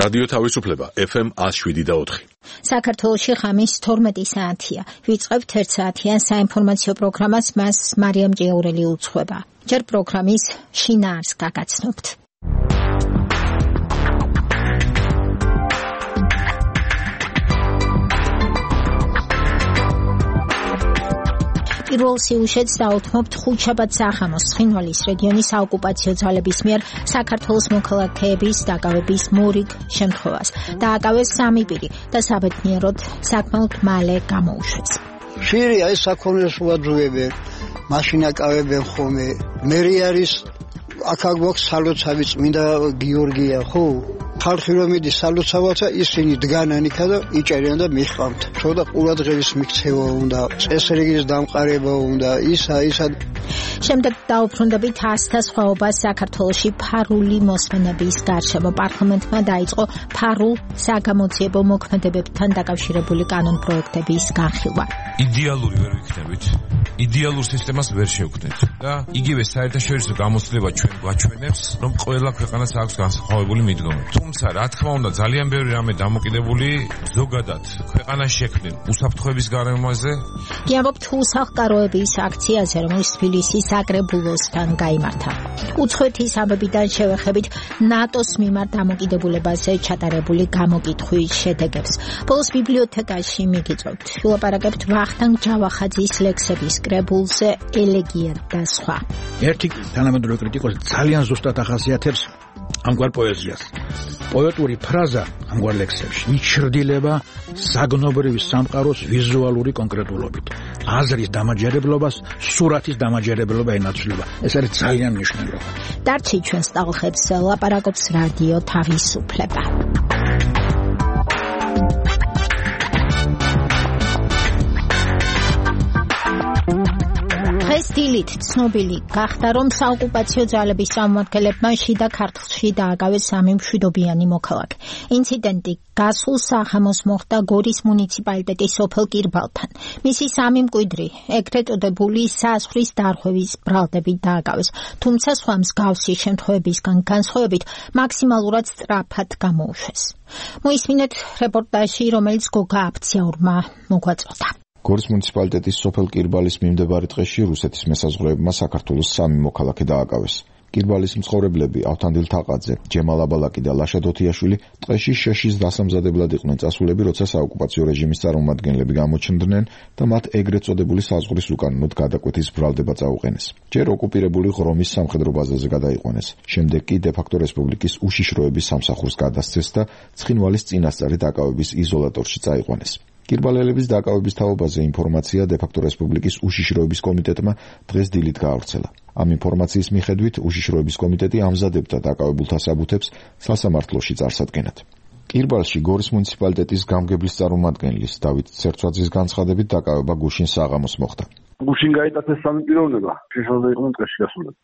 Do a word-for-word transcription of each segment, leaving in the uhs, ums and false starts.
რადიო თავისუფლება ეფ ემ one oh seven და four. საქართველოში ხამის თორმეტი საათია. ვიწყებთ ერთ საათიან საინფორმაციო პროგრამას, მას მარიამ ჭიაურელი უძღვება. ჯერ პროგრამის შინაარსს გაგაცნობთ. პირველ სიუჟეტს დაუთმობთ ხუთშაბათ სახამოს ცხინვალის რეგიონის საოკუპაციო ძალების მიერ საქართველოს მოქალაქეების დაკავების მორიგ შემთხვევას. დააკავეს სამი პირი და საბედნიეროდ საკმაოდ მალე გამოუშვეს. ხშირია ეს საქონელს უაძუებენ, მაშინ აკავებენ ხოლმე. მერი არის აქ გვაქვს სალოცავი წმინდა გიორგია, ხო? ხალხი რომ მიდის სალოცავათა ისინი დგანან იქა და იჭერენ და მიხამთ. ცოტა ყურადღების მიქცევა უნდა, წესრიგის დამყარება უნდა, ისა ისა. შემდეგ დაუბრუნდებით ასთა სხვაობას საქართველოში ფარული მოსმენების გარშემო. პარლამენტმა დაიწყო ფარულ საგამოძიებო მოქმედებებთან დაკავშირებული კანონპროექტების განხილვა. იდეალური ვერ ვიქნებით. იდეალურ სისტემას ვერ შევქმნით და იგივე საერთაშორისო გამოცდილება ჩვენ გვაჩვენებს, რომ ყველა ქვეყანას აქვს განსხვავებული მიდგომები. თუმცა, რა თქმა უნდა, ძალიან ბევრი რამე დამოკიდებული ზოგადად ქვეყანას შექმნილ უსაფრთხოების გარემოზე. გიამბობთ უსახლკაროების აქციაზე, რომელიც თბილისის საკრებულოსთან გაიმართა. უცხოეთის ამბებიდან შევეხებით ნატოს მიმართ დამოკიდებულებაზე ჩატარებული გამოკითხვის შედეგებს. ბოლოს ბიბლიოთეკაში მიგიწევთ. ვილაპარაკებთ ვახტანგ ჯავახაძის ლექსების კრებულზე ელეგია და სხვა. ერთი თანამედროვე კრიტიკოსი ძალიან ზუსტად ახასიათებს ამგვარ პოეზიას. პოეტური ფრაზა ამგვარ ლექსებში იჩრდილება საგნობრივი სამყაროს ვიზუალური კონკრეტულობით. აზრის დამაჯერებლობას, სურათის დამაჯერებლობა ენაცვლება. ეს არის ძალიან მნიშვნელოვანი. დარჩი ჩვენს ტალღებს ლაპარაკობს რადიო თავისუფლება. დღეს დილით ცნობილი გახდა, რომ საოკუპაციო ძალების წარმომადგენლებმა შიდა ქართლში დააკავეს სამი მშვიდობიანი მოქალაქე. ინციდენტი გასულ სახამოს მოხდა გორის მუნიციპალიტეტის სოფელ კირბალთან. მისი სამი მკვიდრი ეგრეთ წოდებული საზღვრის დარღვევის ბრალდებით დააკავეს, თუმცა სხვა მსგავსი შემთხვევებისგან განსხვავებით მაქსიმალურად სწრაფად გამოუშვეს. მოისმინეთ რეპორტაჟი, რომელიც გოგა აფციაურმა მოგვაწოდა. გორის მუნიციპალიტეტის სოფელ კირბალის მიმდებარე ტყეში რუსეთის მესაზღვრეებმა საქართველოს სამი მოქალაქე დააკავეს. კირბალის მცხოვრებლები ავთანდილ თაყაძე, ჯემალ აბალაკი და ლაშა დოთიაშვილი ტყეში შეშის დასამზადებლად იყვნენ წასულები, როცა საოკუპაციო რეჟიმის წარმომადგენლები გამოჩნდნენ და მათ ეგრეთ წოდებული საზღვრის უკანონოდ გადაკვეთის ბრალდება წაუყენეს. ჯერ ოკუპირებული ღრომის სამხედრო ბაზაზე გადაიყვანეს. შემდეგ კი დე-ფაქტო რესპუბლიკის უშიშროების სამსახურს გადასცეს და ცხინვალის წინასწარი დაკავების იზოლატორში წაიყვანეს. კირბალელების დაკავების თაობაზე ინფორმაცია დე-ფაქტო რესპუბლიკის უშიშროების კომიტეტმა დღეს დილით გაავრცელა. ამ ინფორმაციის მიხედვით უშიშროების კომიტეტი ამზადებდა დაკავებულთა საბუთებს სასამართლოში წარსადგენად. კირბალში გორის მუნიციპალიტეტის გამგებლის წარმომადგენლის დავით ცერცვაძის განცხადებით დაკავება გუშინ საღამოს მოხდა. გუშინ გაიტაცეს სამი პიროვნება, შეშალდა იყვნენ ტყეში გასულები.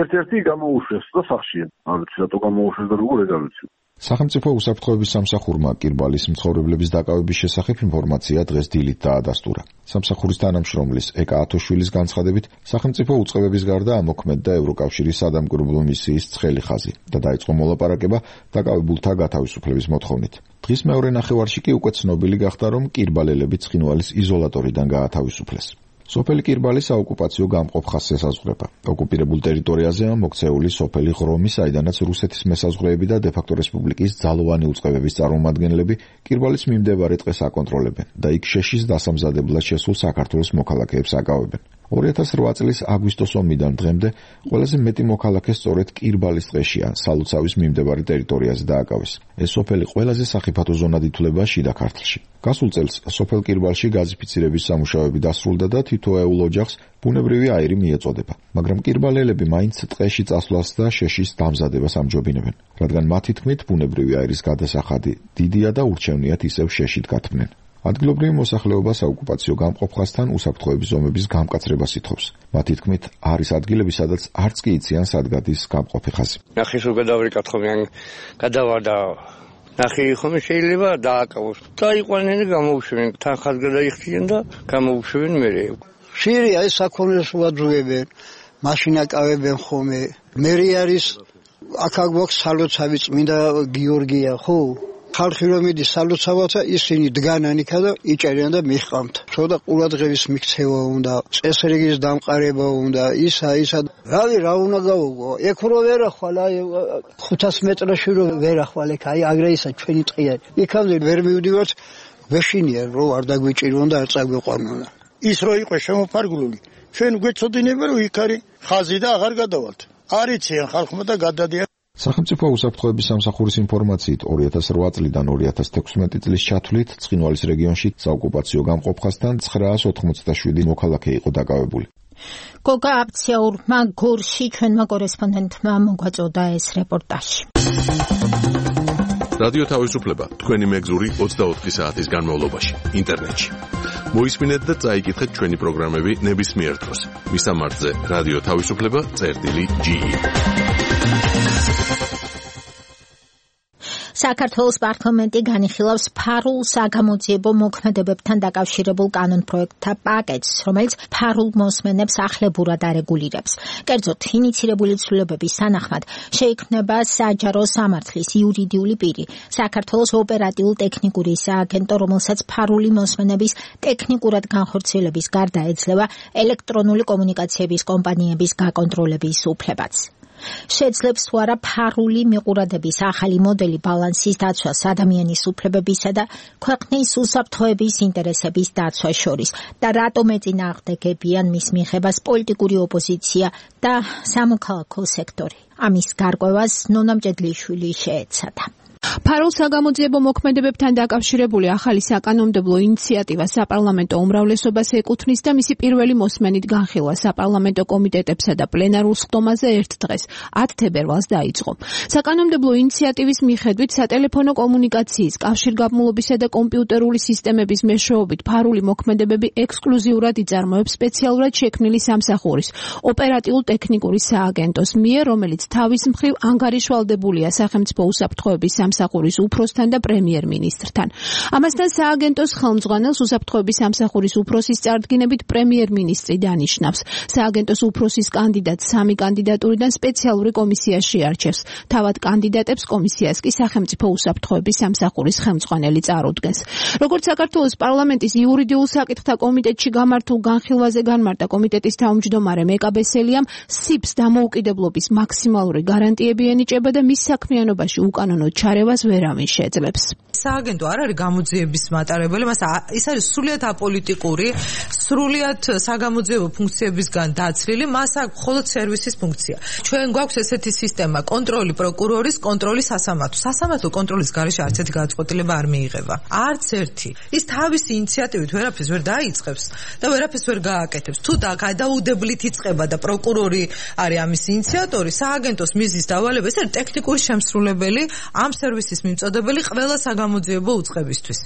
ერთ-ერთი გამოუშვეს და სახლშია. არ ვიცი რატო გამოუშვეს და როგორ ეგ არ ვიცი. სახელმწიფო უსაფრთხოების სამსახურმა კირბალის მცხოვრებლების დაკავების შესახებ ინფორმაცია დღეს დილით დაადასტურა. სამსახურის თანამშრომლის ეკა ათოშვილის განცხადებით, სახელმწიფო უწყებების გარდა ამოქმედდა ევროკავშირის სადამკვირვებლო მისიის ცხელი ხაზი და დაიწყო მოლაპარაკება დაკავებულთა გათავისუფლების მოთხოვნით. დღის მეორე ნახევარში კი უკვე ცნობილი გახდა, რომ კირბალელები ცხინვალის იზოლატორიდან გაათავისუფლეს. სოფელი კირბალი საოკუპაციო გამყოფ ხაზს ესაზღვრება. ოკუპირებულ ტერიტორიაზეა მოქცეული სოფელი ღრომი, საიდანაც რუსეთის მესაზღვრეები და დე-ფაქტო რესპუბლიკის ძალოვანი უწყებების წარმომადგენლები კირბალის მიმდებარე ტყეს აკონტროლებენ და იქ შეშის დასამზადებლად შესულ საქართველოს მოქალაქეებს აკავებენ. ორი ათას რვა წლის აგვისტოს ომიდან დღემდე ყველაზე მეტი მოქალაქე სწორედ კირბალის ტყეშია, სალოცავის მიმდებარე ტერიტორიაზე დააკავეს. ეს სოფელი ყველაზე სახიფათო ზონად ითვლება შიდა ქართლში. გასულ წელს სოფელ კირბალში გაზიფიცირების სამუშაოები დასრულდა და თითოეულ ოჯახს ბუნებრივი აირი მიეწოდება, მაგრამ კირბალელები მაინც ტყეში წასვლას და შეშის დამზადებას ამჯობინებენ, რადგან მათი თქმით ბუნებრივი აირის გადასახადი დიდია და ურჩევნიათ ისევ შეშით გათმნენ. ადგილობრივი მოსახლეობა საოკუპაციო გამყოფ ხაზთან უსაფრთხოების ზომების გამკაცრებას ითხოვს. მათი თქმით, არის ადგილები, სადაც არც კი იციან სად გადის გამყოფი ხაზი. ნახე სულ გადავარიკათხო მე გადავა და ნახე ხომ შეიძლება დააკავოს. დაიყვანენ და გამოუშვენ, თან ხაზ გადაიხდიან და გამოუშვენ მერე. ხშირია ეს საქონელს უაძუებენ, მაშინ აკავებენ ხოლმე. მერი არის აქ გვაქვს სალოცავი წმინდა გიორგია, ხო? ხალხი რომ მიდის სალოცავათა ისინი დგანან იქა და იჭერიან და მიჰყავთ. ცოტა ყურადღების მიქცევა უნდა, წესრიგის დამყარება უნდა, ისა ისა. რავი, რა უნდა გავუგო? ეკ რო ვერ ახვალ, აი ხუთას მეტრში რო ვერ ახვალ, ეგ აი აგრე ისა ჩვენი ტყია. იქამდე ვერ მივდივართ, ვეშინია რომ არ დაგვიჭირონ და არ წაგვიყვანონ. ის რო იყო შემოფარგლული, ჩვენ გვეცოდინება რომ იქ არის ხაზი და აღარ გადავალთ. არიციან ხალხმა და გადადიან. სახელმწიფო უსაფრთხოების სამსახურის ინფორმაციით ორი ათას რვა წლიდან ორი ათას თექვსმეტი წლის ჩათვლით ცხინვალის რეგიონში საოკუპაციო გამყოფხასთან ცხრაას ოთხმოცდაშვიდი მოქალაქე იყო დაკავებული. გოგა აფციაურმა გორში ჩვენმა კორესპონდენტმა მოგვაწოდა ეს რეპორტაჟი. რადიო თავისუფლება თქვენი მეგზური ოცდაოთხი საათის განმავლობაში ინტერნეტში. მოისმინეთ და წაიკითხეთ ჩვენი პროგრამები ნებისმიერ დროს. მისამართზე რადიო თავისუფლება წერტილი ჯი ი. საქართველოს პარლამენტი განიხილავს ფარულ საგამოძიებო მოქმედებებთან დაკავშირებულ კანონპროექტთა პაკეტს, რომელიც ფარულ მოსმენებს ახლებურად არეგულირებს. კერძოდ, ინიცირებული ცვლილებების თანახმად შეიქმნება საჯარო სამართლის იურიდიული პირი, საქართველოს ოპერატიულ-ტექნიკური სააგენტო, რომელსაც ფარული მოსმენების ტექნიკურად განხორციელების გარდა ეძლევა ელექტრონული კომუნიკაციების კომპანიების გაკონტროლების უფლებაც. შეძლებს თუ არა ფარული მიყურადების ახალი მოდელი ბალანსის დაცვას ადამიანის უფლებებისა და ქვეყნის უსაფრთხოების ინტერესების დაცვას შორის და რატომ ეწინააღმდეგებიან მის მიღებას პოლიტიკური ოპოზიცია და სამოქალაქო სექტორი. ამის გარკვევას ნონა მჭედლიშვილი შეეცადა. ფარულ საგამოძიებო მოქმედებებთან დაკავშირებული ახალი საკანონმდებლო ინიციატივა საპარლამენტო უმრავლესობას ეკუთვნის და მისი პირველი მოსმენით განხილვა საპარლამენტო კომიტეტებსა და პლენარულ სხდომაზე ერთ დღეს ათ თებერვალს დაიწყო. საკანონმდებლო ინიციატივის მიხედვით სატელეფონო კომუნიკაციის, კავშირგაბმულობისა და კომპიუტერული სისტემების მეშვეობით ფარული მოქმედებები ექსკლუზიურად იწარმოებს სპეციალურად შექმნილი სამსახურის ოპერატიულ-ტექნიკური სააგენტოს მიერ, რომელიც თავის მხრივ ანგარიშვალდებულია სახელმწიფო უსაფრთხოების სამსახურის უფროსთან და პრემიერ-მინისტრთან. ამასთან სააგენტოს ხელმძღვანელს უსაფრთხოების სამსახურის უფროსის წარდგინებით პრემიერ-მინისტრი დანიშნავს. სააგენტოს უფროსის კანდიდატს სამი კანდიდატურიდან სპეციალური კომისია შეარჩევს. თავად კანდიდატებს კომისიას კი სახელმწიფო უსაფრთხოების სამსახურის ხელმძღვანელი წარუდგენს. როგორც საქართველოს პარლამენტის იურიდიულ საკითხთა კომიტეტში გამართულ განხილვაზე განმარტა კომიტეტის თავმჯდომარე მეკა ბესელიამ, სიბს დამოუკიდებლობის მაქსიმალური გარანტიები ენიჭება და მის საქმიანობაში უკანონო ჩარევას ვერავინ შეძლებს. სააგენტო არ არის გამოძიების მატარებელი, მას ის არის სრულიად აპოლიტიკური, სრულიად საგამოძიებო ფუნქციებისგან დაცლილი, მას აქვს მხოლოდ სერვისის ფუნქცია. ჩვენ გვაქვს ესეთი სისტემა, კონტროლი პროკურორის, კონტროლი სასამართლო. სასამართლო კონტროლის გარეშე არც ერთი გადაწყვეტილება არ მიიღება. არც ერთი. ის თავისი ინიციატივით ვერაფერს ვერ დაიწყებს და ვერაფერს ვერ გააკეთებს. თუ და გადაუდებლით იწყება და პროკურორი არის ამის ინიციატორი, სააგენტოს მიზნის დავალება ეს არის ტექნიკური შემსრულებელი ამ სერვისის მიმწოდებელი ყველა საგამოძიებო უწყებისთვის.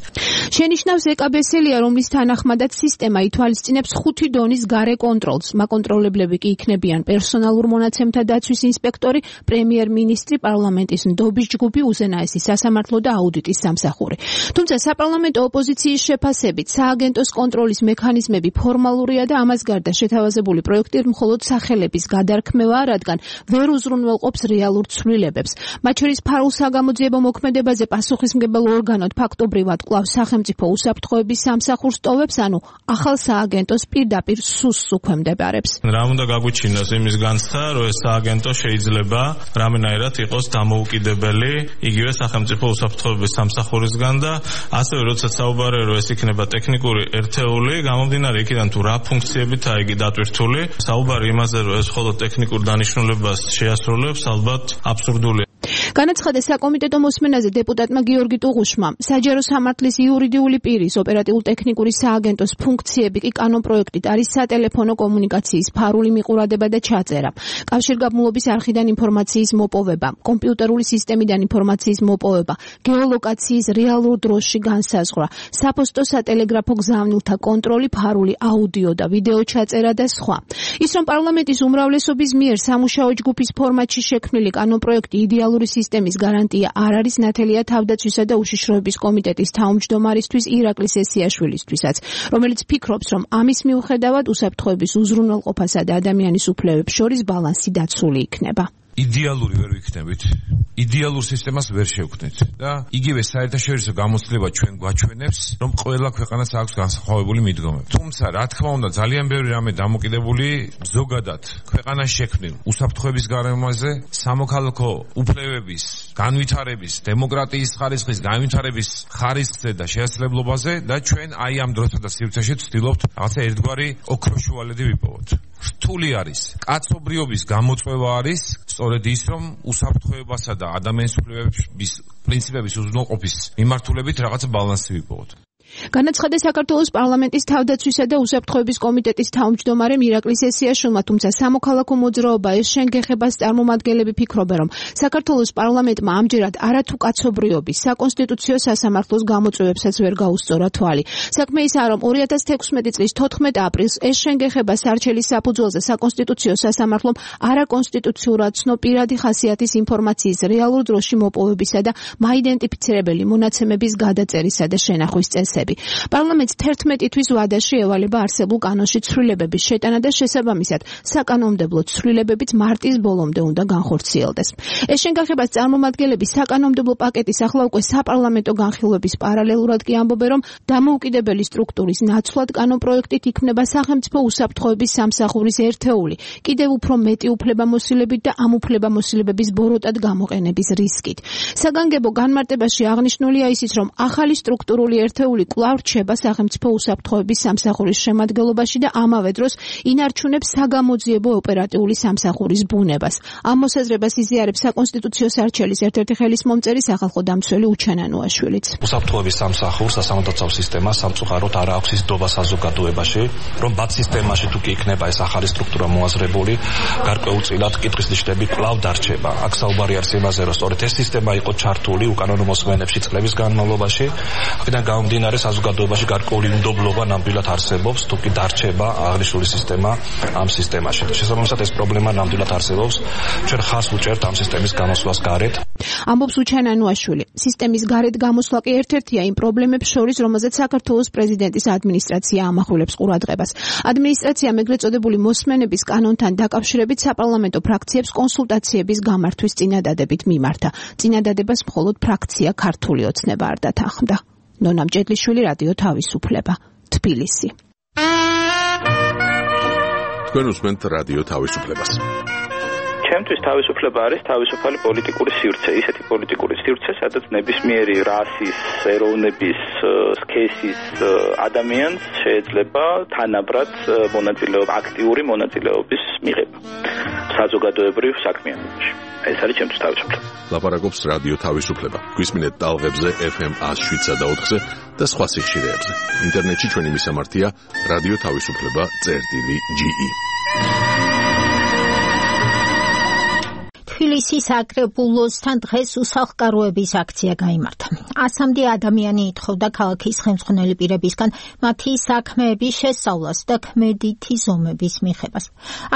შენიშნავს ეკა ბესელია, რომლის თანახმადაც სისტემა ითვალისწინებს ხუთი დონის გარე კონტროლს. მაკონტროლებლები კი იქნებიან პერსონალურ მონაცემთა დაცვის ინსპექტორი, პრემიერ-მინისტრი, პარლამენტის ნდობის ჯგუფი, უზენაესი სასამართლო და აუდიტის სამსახური. თუმცა საპარლამენტო ოპოზიციის შეფასებით სააგენტოს კონტროლის მექანიზმები ფორმალურია და ამას გარდა შეთავაზებული პროექტი მხოლოდ სახელების გადარქმევაა, რადგან ვერ უზრუნველყოფს რეალურ ცვლილებებს. მათ შორის ფარულ საგამოძიებო მოქმედებაზე პასუხისმგებელ ორგანოდ ფაქტობრივად კვლავ სახელმწიფო უსაფრთხოების სამსახურს ტოვებს, ანუ ახალ სააგენტოს პირდაპირ სუსს უქვემდებარებს. რა უნდა გაგვიჩინოს იმის განცდა, რომ ეს სააგენტო შეიძლება რამენაირად იყოს დამოუკიდებელი იგივე სახელმწიფო უსაფრთხოების სამსახურისგან და ასევე როდესაც საუბარია, რომ ეს იქნება ტექნიკური ერთეული, გამომდინარე იქიდან თუ რა ფუნქციებითაა იგი დატვირთული, საუბარი იმაზე, რომ ეს მხოლოდ ტექნიკურ დანიშნულებას შეასრულებს, ალბათ აბსურდულია. განაცხადა საკომიტეტო მოსმენაზე დეპუტატმა გიორგი ტუღუშმა. საჯარო სამართლის იურიდიული პირის ოპერატიულ-ტექნიკური სააგენტოს ფუნქციები კი კანონპროექტით არის სატელეფონო კომუნიკაციის ფარული მიყურადება და ჩაწერა, კავშირგაბმულობის არხიდან ინფორმაციის მოპოვება, კომპიუტერული სისტემიდან ინფორმაციის მოპოვება, გეოლოკაციის რეალურ დროში განსაზღვრა, საფოსტო სატელეგრაფო გზავნილთა კონტროლი, ფარული აუდიო და ვიდეო ჩაწერა და სხვა. ის რომ პარლამენტის უმრავლესობის მიერ სამუშაო ჯგუფის ფორმატში შექმნილი კანონპროექტი იდეალური სისტემის გარანტია არ არის, ნათელია თავდაცვისა და უშიშროების კომიტეტის თავმჯდომარისთვის ირაკლი სესიაშვილისთვისაც, რომელიც ფიქრობს, რომ ამის მიუხედავად უსაფრთხოების უზრუნველყოფასა და ადამიანის უფლებებს შორის ბალანსი დაცული იქნება. იდეალური ვერ ვიქნებით. იდეალურ სისტემას ვერ შევქმნით და იგივე საერთაშორისო გამოცდილება ჩვენ გვაჩვენებს, რომ ყველა ქვეყანას აქვს განსხვავებული მიდგომები. თუმცა, რა თქმა უნდა, ძალიან ბევრი რამე დამოკიდებული ზოგადად ქვეყანას შექმნილ უსაფრთხოების გარემოზე, სამოქალაქო უფლებების განვითარების, დემოკრატიის ხარისხის განვითარების ხარისხზე და შესაძლებლობაზე და ჩვენ აი ამ დროსა და სივრცეში ვცდილობთ რაღაცა ერთგვარი ოქროშუალედი ვიპოვოთ. რთული არის. კაცობრიობის გამოწვევა არის სწორედ ის, რომ უსაფრთხოებასა და ადამიანის უფლებების პრინციპების უზრუნველყოფის მიმართულებით რაღაცა ბალანსი ვიპოვოთ. განაცხადა საქართველოს პარლამენტის თავდაცვისა და უსაფრთხოების კომიტეტის თავმჯდომარე მირაკლი სესიაშვილმა, თუმცა სამოქალაქო მოძრაობა ეს შენგეხებას წარმომადგენლები ფიქრობენ, რომ საქართველოს პარლამენტმა ამჯერად არათუ კაცობრიობის საკონსტიტუციო სასამართლოს გამოწვევებსაც ვერ გაუსწორა თვალი. საქმე ისაა, რომ ორი ათას თექვსმეტი წლის თოთხმეტ აპრილს ეს შენგეხება სარჩელის საფუძველზე საკონსტიტუციო სასამართლომ არაკონსტიტუციურად ცნო პირადი ხასიათის ინფორმაციის რეალურ დროში მოპოვებისა და მაიდენტიფიცირებელი მონაცემების გადაწერისა და შენახვის წესები. პარლამენტს თერთმეტი თვის ვადაში ევალება არსებულ კანონში ცვლილებების შეტანა და შესაბამისად საკანონმდებლო ცვლილებებიც მარტის ბოლომდე უნდა განხორციელდეს. ეს შენგახებას წარმომადგენლები საკანონმდებლო პაკეტის ახლა უკვე საპარლამენტო განხილვების პარალელურად კი ამბობენ, რომ დამოუკიდებელი სტრუქტურის ნაცვლად კანონპროექტით იქმნება სახელმწიფო უსაფრთხოების სამსახურის ერთეული, კიდევ უფრო მეტი უფლებამოსილებით და ამ უფლებამოსილებების ბოროტად გამოყენების რისკით. საგანგებო განმარტებაში აღნიშნულია ისიც, რომ ახალი სტრუქტურული ერთეული კვლავ რჩება სახელმწიფო უსაფრთხოების სამსახურის შემადგენლობაში და ამავე დროს ინარჩუნებს საგამოძიებო ოპერატიული სამსახურის ბუნებას. ამ მოსაზრებას იზიარებს საკონსტიტუციო სარჩელის ერთ-ერთი ხელისმომწერი სახალხო დამცველი უჩანანუაშვილიც. უსაფრთხოების სამსახურს სასამართლო სისტემა სამწუხაროდ არ აქვს ის დობა საზოგადოებაში, რომ ბათ სისტემაში თუ კი იქნება ეს ახალი სტრუქტურა მოაზრებული, გარკვეულწილად კითხვის ნიშნები კვლავ დარჩება. აქ საუბარი არის იმაზე, რომ სწორედ ეს სისტემა იყო ჩართული უკანონო მოსმენებში წლების განმავლობაში, აქედან გამომდინარე საზოგადოებაში გარკვეული უნდობლობა ნამდვილად არსებობს, თუ კი დარჩება აღნიშნული სისტემა ამ სისტემაში. შესაბამისად ეს პრობლემა ნამდვილად არსებობს. ჩვენ ხას ვუჭერთ ამ სისტემის გამოსვლას გარეთ. ამბობს უჩანანუაშვილი. სისტემის გარეთ გამოსვლა კი ერთ-ერთია იმ პრობლემებს შორის, რომელზეც საქართველოს პრეზიდენტის ადმინისტრაცია ამახვილებს ყურადღებას. ადმინისტრაციამ ეგრეთ წოდებული მოსმენების კანონთან დაკავშირებით საპარლამენტო ფრაქციებს კონსულტაციების გამართვის წინადადებით მიმართა. წინადადებას მხოლოდ ფრაქცია ქართული ოცნება არ დათანხმდა. ნონა მჭედლიშვილი, რადიო თავისუფლება, თბილისი. თქვენ უსმენთ რადიო თავისუფლებას. ჩემთვის თავისუფლება არის თავისუფალი პოლიტიკური სივრცე, ისეთი პოლიტიკური სივრცე, სადაც ნებისმიერი რასის, ეროვნების, სქესის ადამიანს შეიძლება თანაბრად მონაწილეობა, აქტიური მონაწილეობის მიღება საზოგადოებრივ საქმიანობაში. ეს არის ჩემთვის თავისუფლება. ლაპარაკობს რადიო თავისუფლება. გვისმინეთ ტალღებზე ეფ ემ one oh seven point four-ზე და სხვა სიხშირეებზე. ინტერნეტში ჩვენი მისამართია რადიო თავისუფლება წერტილი ჯი ი. თბილისის აკრებულოსთან დღეს უსახლკაროების აქცია გაიმართა. ასამდე ადამიანი ითხოვდა ქალაქის ხელმძღვანელი პირებისგან მათი საქმეების შესწავლას და ქმედითი ზომების მიღებას.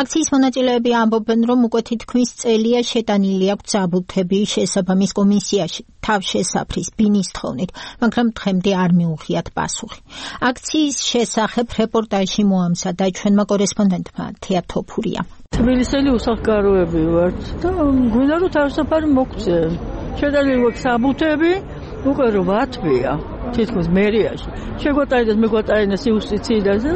აქციის მონაწილეები ამბობენ, რომ უკვე თითქმის წელია შეტანილი აქვს საბუთები შესაბამის კომისიაში თავშესაფრის ბინის თხოვნით, მაგრამ დღემდე არ მიუღიათ პასუხი. აქციის შესახებ რეპორტაჟი მოამზადა ჩვენმა კორესპონდენტმა თეა თოფურია. თბილისელი უსახლკაროები ვართ და გვინდა რომ თავისუფალი მოგვწე. შეტანილი აქვს საბუთები, უკვე რვა თვეა თითქმის მერიაში. შეგვატაინეს, მეგვატაინეს იუსტიციიდან და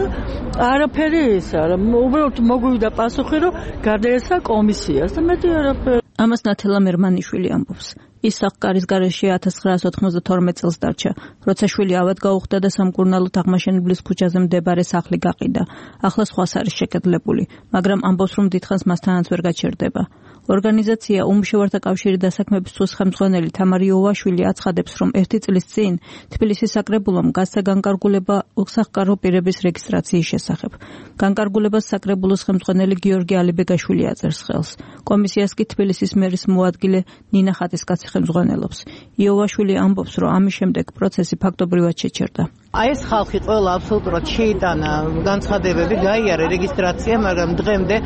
არაფერი ეს არა. უბრალოდ მოგვივიდა პასუხი, რომ გადაეცა კომისიას და მეტი არაფერი. ამას ნათელა მერმანიშვილი ამბობს. ის სახკარის გარეშე ათას ცხრაასი ოთხმოცდათორმეტ წელს დარჩა, როცა შვილი ავად გაუხდა და სამკურნალოდ აღმაშენებლის ქუჩაზე მდებარე სახლი გაყიდა. ახლა სხვას არის შეკედლებული, მაგრამ ამბობს, რომ დიდხანს მასთანაც ვერ გაჩერდება. ორგანიზაცია უმუშევართა კავშირი დასაქმების სუს ხელმძღვანელი თამარი ოვაშვილი აცხადებს, რომ ერთი წლის წინ თბილისის საკრებულომ გასცა განკარგულება უსახლკარო პირების რეგისტრაციის შესახებ. განკარგულებას საკრებულოს ხელმძღვანელი გიორგი ალიბეგაშვილი აწერს ხელს. კომისიას კი თბილისის მერის მოადგილე ნინა ხატისკაცი ხელმძღვანელობს. იოვაშვილი ამბობს, რომ ამის შემდეგ პროცესი ფაქტობრივად შეჩერდა. აი ეს ხალხი ყველა აბსოლუტურად შეიტანა განცხადებები, გაიარა რეგისტრაცია, მაგრამ დღემდე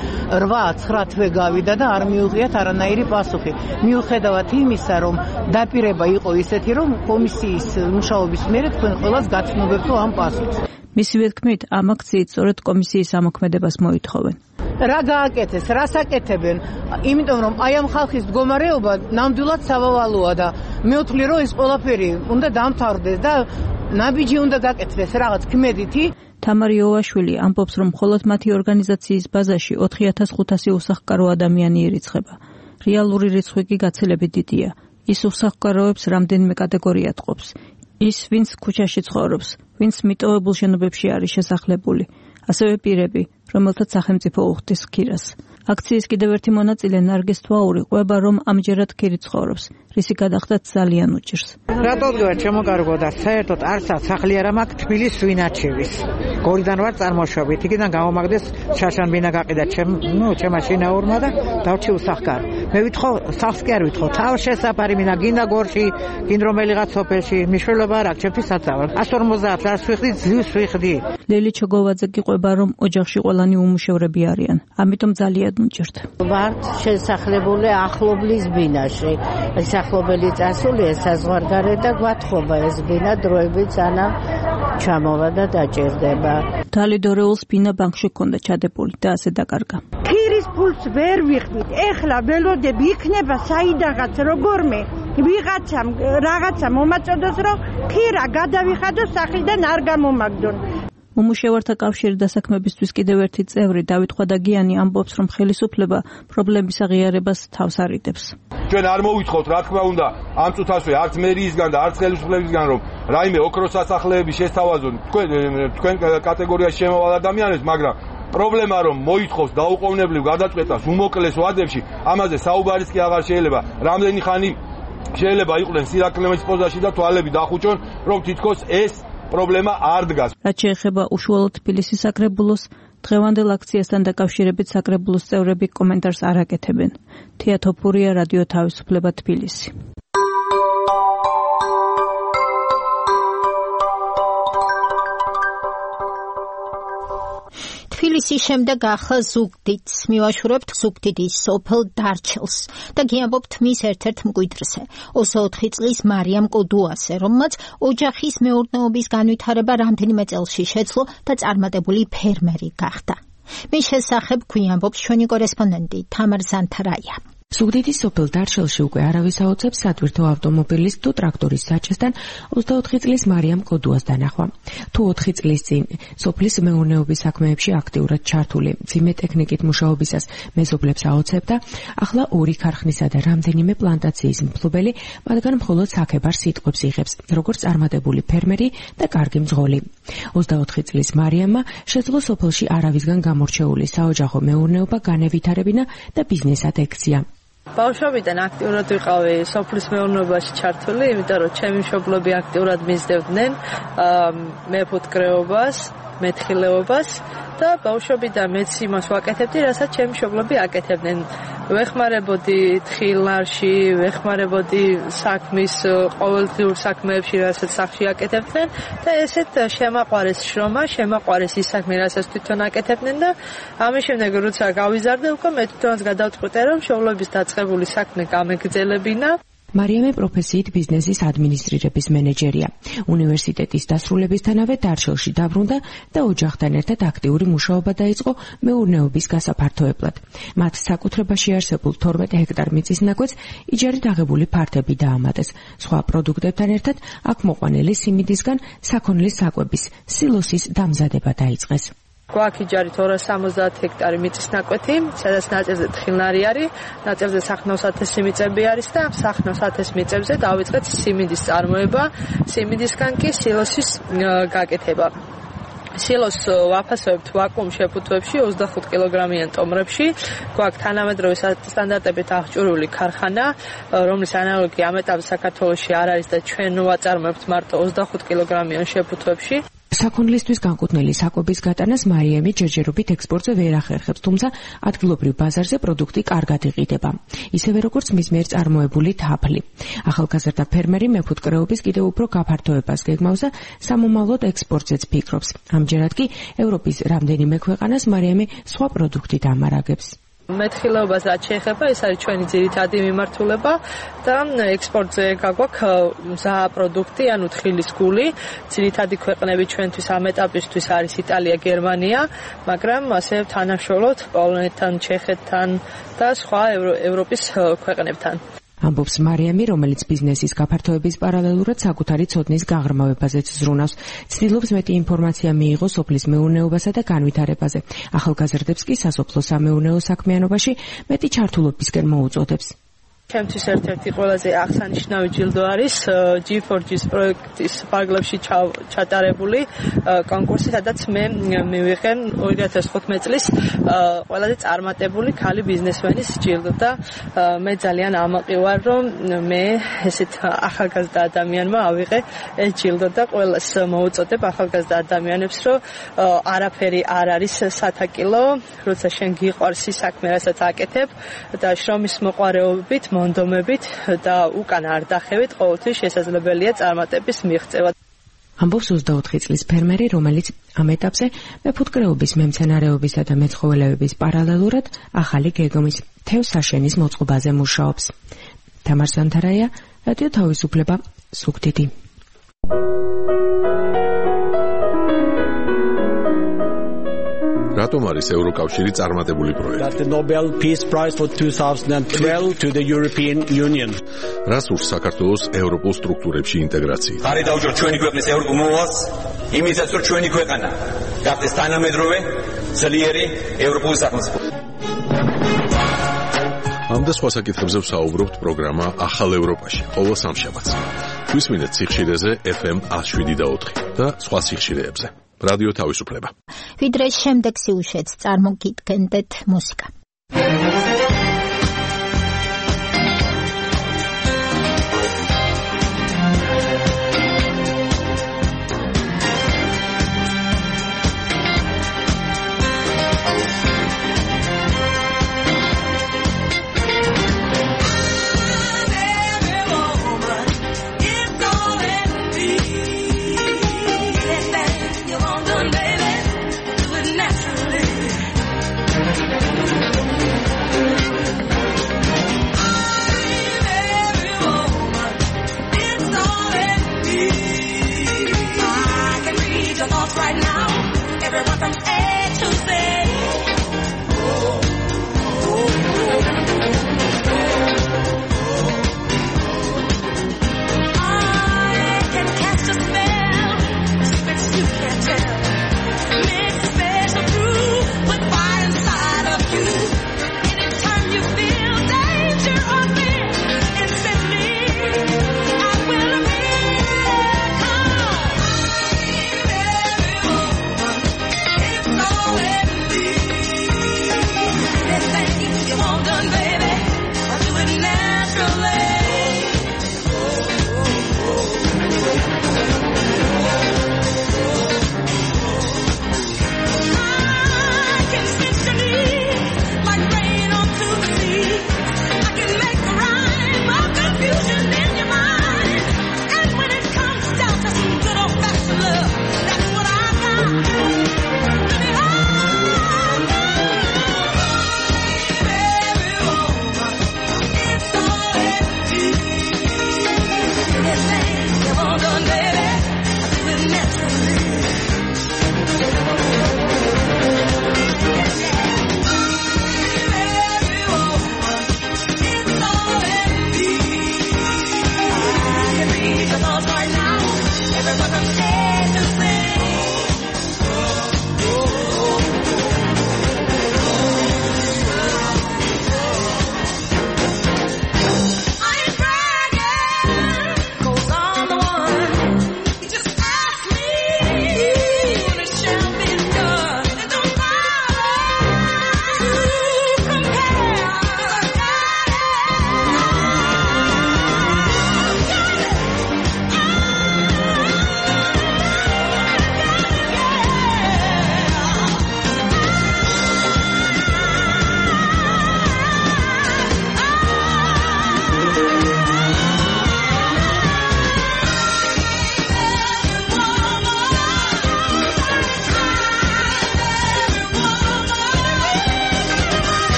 რვა ცხრა თვე გავიდა და არ მიუღიათ არანაირი პასუხი. მიუხედავად იმისა, რომ დაპირება იყო ისეთი, რომ კომისიის მუშაობის მერე თქვენ ყველას გაცნობებთ ამ პასუხს. მისივე თქმით, ამ აქციით სწორედ კომისიის ამოქმედებას მოითხოვენ. რა გააკეთეს, რას აკეთებენ. იმიტომ რომ აი ამ ხალხის მდგომარეობა ნამდვილად სავალალოა და მე ვთვლი რომ ეს ყველაფერი უნდა დამთავრდეს და ნაბიჯი უნდა გაკეთდეს რაღაც ქმედითი. თამარ იოვაშვილი ამბობს, რომ მხოლოდ მათი ორგანიზაციის ბაზაში ოთხი ათას ხუთასი უსახლკარო ადამიანი ირიცხება. რეალური რიცხვი კი გაცილებით დიდია. ის უსახლკაროებს რამდენიმე კატეგორიად ყოფს. ის, ვინც ქუჩაში ცხოვრობს, ვინც მიტოვებულ შენობებში არის შესახლებული, ასევე პირები, რომელთაც სახელმწიფო უხდის ქირას. აქციის კიდევ ერთი მონაწილე ნარგიზ თვაური ყვება, რომ ამჯერად ქირი ცხოვრობს, რისი გადახდაც ძალიან უჭირს. რატოდღა შემოკარგო და საერთოდ არცაც სახლი არ მაქვს თბილისის ვინაჩევის. გორიდან ვარ წარმოშობით, იქიდან გამომაგდეს შაშანბინა გაყიდა ჩემ, ნუ ჩემა შინაურმა და დავჩი უსახლკარო. მე ვითხოვ, სახლს კი არ ვითხოვ, თავ შესაფარი მინა გინდა გორში, გინ რომელიღაც სოფელში, მნიშვნელობა არ აქვს ჩემთვის საწავლა. εκατს ორმოცდაათ რას ვიხდი, ძლივს ვიხდი. ლელი ჩოგოვაძე კი ყვება, რომ ოჯახში ყველანი უმუშევრები არიან, ამიტომ ძალიან უჭირთ. ვარ შესახლებული ახლობლის ბინაში. ახლობელი წასულია საზღვარგარეთ და გვათხოვა ეს ბინა დროებით სანამ ჩამოვა და დაჭირდება. თალიდორეულს ბინა ბანკში ჰქონდა ჩადებული და ასე დაკარგა. ქირის ფულს ვერ ვიხდით. ეხლა ველოდები იქნება საიდანაც როგორმე ვიღაცამ რაღაცა მომაწოდოს რომ ქირა გადავიხადო სახლიდან არ გამომაგდონ. უმუშევართა კავშირი დასაქმებისთვის კიდევ ერთი წევრი დავით ხვადაგიანი ამბობს, რომ ხელისუფლება პრობლემის აღიარებას თავს არიდებს. ჩვენ არ მოვითხოვთ, რა თქმა უნდა, ამ წუთასვე არც მერიისგან და არც ხელისუფლებისგან, რომ რაიმე ოქროს სასახლეები შესთავაზონ თქვენ თქვენ კატეგორიაში შემოვალ ადამიანებს, მაგრამ პრობლემა რომ მოითხოვს დაუყოვნებლივ გადაწყვეტას უმოკლეს ვადებში, ამაზე საუბარიც კი აღარ შეიძლება. რამდენი ხანი შეიძლება იყვნენ სირაქლემის პოზაში და თვალები დახუჭონ, რომ თითქოს ეს პრობლემა არ დგას. რაც შეეხება უშუალოდ თბილისის საკრებულოს, დღევანდელ აქციასთან დაკავშირებით საკრებულოს წევრები კომენტარს არ აკეთებენ. თია თოფურია, რადიო თავისუფლება, თბილისი. თბილისის შემდეგ ახლა ზუგდიდს მივაშურებთ ზუგდიდის სოფელ დარჩილს და გიამბობთ მის ერთ-ერთ მკვიდრზე, ოცდაოთხი წლის მარიამ კოდუასზე, რომელმაც ოჯახის მეურნეობის განვითარება რამდენიმე წელში შეძლო და წარმატებული ფერმერი გახდა. მის შესახებ გვიამბობს ჩვენი კორესპონდენტი თამარ ზანთარაია. ზუგდიდის სოფელ დარჩილში უკვე არავის აუწევს სატვირთო ავტომობილის თუ ტრაქტორის საჭესთან ოცდაოთხი წლის მარიამ კოდუას დანახვა. თუ ოთხი წლის წინ სოფლის მეურნეობის საქმეებში აქტიურად ჩართული მძიმე ტექნიკით მუშაობისას მეზობლებს აუწევდა, ახლა ორი ქარხნისა და რამდენიმე პლანტაციის მფლობელი მათგან მხოლოდ საქებარ სიტყვებს იღებს, როგორც წარმატებული ფერმერი და კარგი მძღოლი. ოცდაოთხი წლის მარიამმა შეძლო სოფელში არავისგან გამორჩეული საოჯახო მეურნეობა განევითარებინა და ბიზნესად ექცია. ბავშვობიდან აქტიურად ვიყავი სოფლის მეურნეობაში ჩართული, იმიტომ რომ ჩემი მშობლები აქტიურად მისდევდნენ მეფუტკრეობას, მეთხილეობას და ბავშვობიდან მეც იმას ვაკეთებდი, რასაც ჩემი მშობლები აკეთებდნენ. ვეხმარებოდი თხილნარში, ვეხმარებოდი საქმის ყოველდღიურ საქმეებში, რასაც სახლში აკეთებდნენ და ესეთ შემაყვარეს შრომა, შემაყვარეს ის საქმე, რასაც თვითონ აკეთებდნენ და ამის შემდეგ როცა გავიზარდე, უკვე მე თვითონაც გადავწყვიტე, რომ მშობლების დაწყებული საქმე გამეგრძელებინა. მარიამი პროფესიით ბიზნესის ადმინისტრირების მენეჯერია. უნივერსიტეტის დასრულებისთანავე დარჩილში დაბრუნდა და ოჯახთან ერთად აქტიური მუშაობა დაიწყო მეურნეობის გასაფართოებლად. მათ საკუთრებაში არსებულ თორმეტ ჰექტარ მიწის ნაკვეთს იჯარით აღებული ფართები დაამატეს. სხვა პროდუქტებთან ერთად აქ მოყვანილი სიმინდისგან საქონლის საკვების, სილოსის დამზადება დაიწყეს. გვაქვს იჯარით ორას სამოცდაათ ჰექტარი მიწის ნაკვეთი, სადაც ნაწილზე თხილნარი არის, ნაწილზე სახნავსათესი მიწები არის და სახნავსათეს მიწებზე დავიწყეთ სიმინდის წარმოება, სიმინდისგან კი სილოსის გაკეთება. სილოს ვაფასებთ ვაკუუმ შეფუთვებში ოცდახუთ კილოგრამიან ტომრებში. გვაქვს თანამედროვე სტანდარტებით აღჭურვილი ქარხანა, რომლის ანალოგი ამ ეტაპზე საქართველოში არ არის და ჩვენ ვაწარმოებთ მარტო ოცდახუთ კილოგრამიან შეფუთვებში. საქონლისთვის განკუთვნილი საკვების გატანას მარიამი ჯერჯერობით ექსპორტზე ვერ ახერხებს, თუმცა ადგილობრივ ბაზარზე პროდუქტი კარგად იყიდება. ისევე როგორც მის მიერ წარმოებული თაფლი. ახალგაზრდა ფერმერი მეფუტკრეობის კიდევ უფრო გაფართოებას გეგმავს და სამომავლოდ ექსპორტზეც ფიქრობს. ამჯერად კი ევროპის რამდენიმე ქვეყანას მარიამი სხვა პროდუქტით ამარაგებს. მეთხილეობას რაც შეეხება, ეს არის ჩვენი ძირითადი მიმართულება და ექსპორტზე გაგვაქვს მზა პროდუქტი, ანუ თხილის გული. ძირითადი ქვეყნები ჩვენთვის ამ ეტაპისთვის არის იტალია, გერმანია, მაგრამ ასე თანამშრომლობთ პოლონეთთან, ჩეხეთთან და სხვა ევროპის ქვეყნებთან. ამბობს მარიამი, რომელიც ბიზნესის გაფართოების პარალელურად საკუთარი ცოდნის გაღრმავებაზეც ზრუნავს. ცდილობს მეტი ინფორმაცია მიიღოს სოფლის მეურნეობასა და განვითარებაზე. ახალგაზრდებს კი სასოფლო-სამეურნეო საქმიანობაში მეტი ჩართულობისკენ მოუწოდებს. ჩემთვის ერთ-ერთი ყველაზე აღსანიშნავი ჯილდო არის ჯი ფორ ჯის პროექტის ფარგლებში ჩატარებული კონკურსი, სადაც მე მივიღე ორი ათას თხუთმეტი წლის ყველაზე წარმატებული ქალი ბიზნესმენის ჯილდო და მე ძალიან ამაყი ვარ, რომ მე ესეთ ახალგაზრდა ადამიანმა ავიღე ეს ჯილდო და ყველას მოუწოდებ ახალგაზრდა ადამიანებს, რომ არაფერი არ არის სათაკილო, როცა შენ გიყვარს ის საქმე, რასაც აკეთებ და შრომის მოყვარეობით მონდომებით და უკან არ დახევით, ყოველთვის შესაძლებელია წარმატების მიღწევა. ამბობს ოცდაოთხი წლის ფერმერი, რომელიც ამ ეტაპზე მეფუტკრეობის, მემცენარეობისა და მეცხოველეობის პარალელურად ახალი გეგმის თევზ საშენის მოწყობაზე მუშაობს. თამარ სანთარაია, რადიო თავისუფლება, სუქდიდი. რატომ არის ევროკავშირი წარმატებული პროექტი? The Nobel Peace Prize for twenty twelve to the European Union. რას ურს საქართველოს ევროპულ სტრუქტურებში ინტეგრაცია? ხარი დაუჭირ ჩვენი ქვეყნის ევროპულ მოვალს, იმისაც რომ ჩვენი ქვეყანა გახდეს თანამედროვე, ძლიერი ევროპული სახელმწიფო. ამ და სხვა საკითხებზე ვსაუბრობთ პროგრამა ახალ ევროპაში, ყოველ სამშაბათს. გვისმინეთ სიხშირეზე ეფ ემ ათს შვიდი და ოთხი და სხვა სიხშირეებზე. რადიო თავისუფლება. ვიდრე შემდეგ სიუჟეტს წარმოგიდგენდეთ მუსიკა.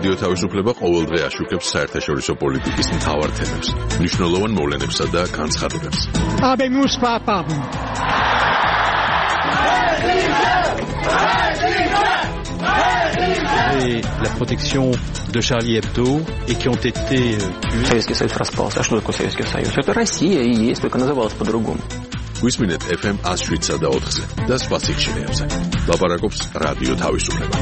რადიო თავისუფლება ყოველდღე აშუქებს საერთაშორისო პოლიტიკის მთავარ თემებს, მნიშვნელოვან მოვლენებსა და განცხადებებს. Habemus papam. Et la protection de Charlie Hebdo et qui ont été tués. Советский Союз распался. А что такое Советский Союз? Это Россия и есть, только называлась по-другому. Висминет эф эм one oh seven და four-ზე და სხვა სიხშირეებზე. ლაპარაკობს რადიო თავისუფლება.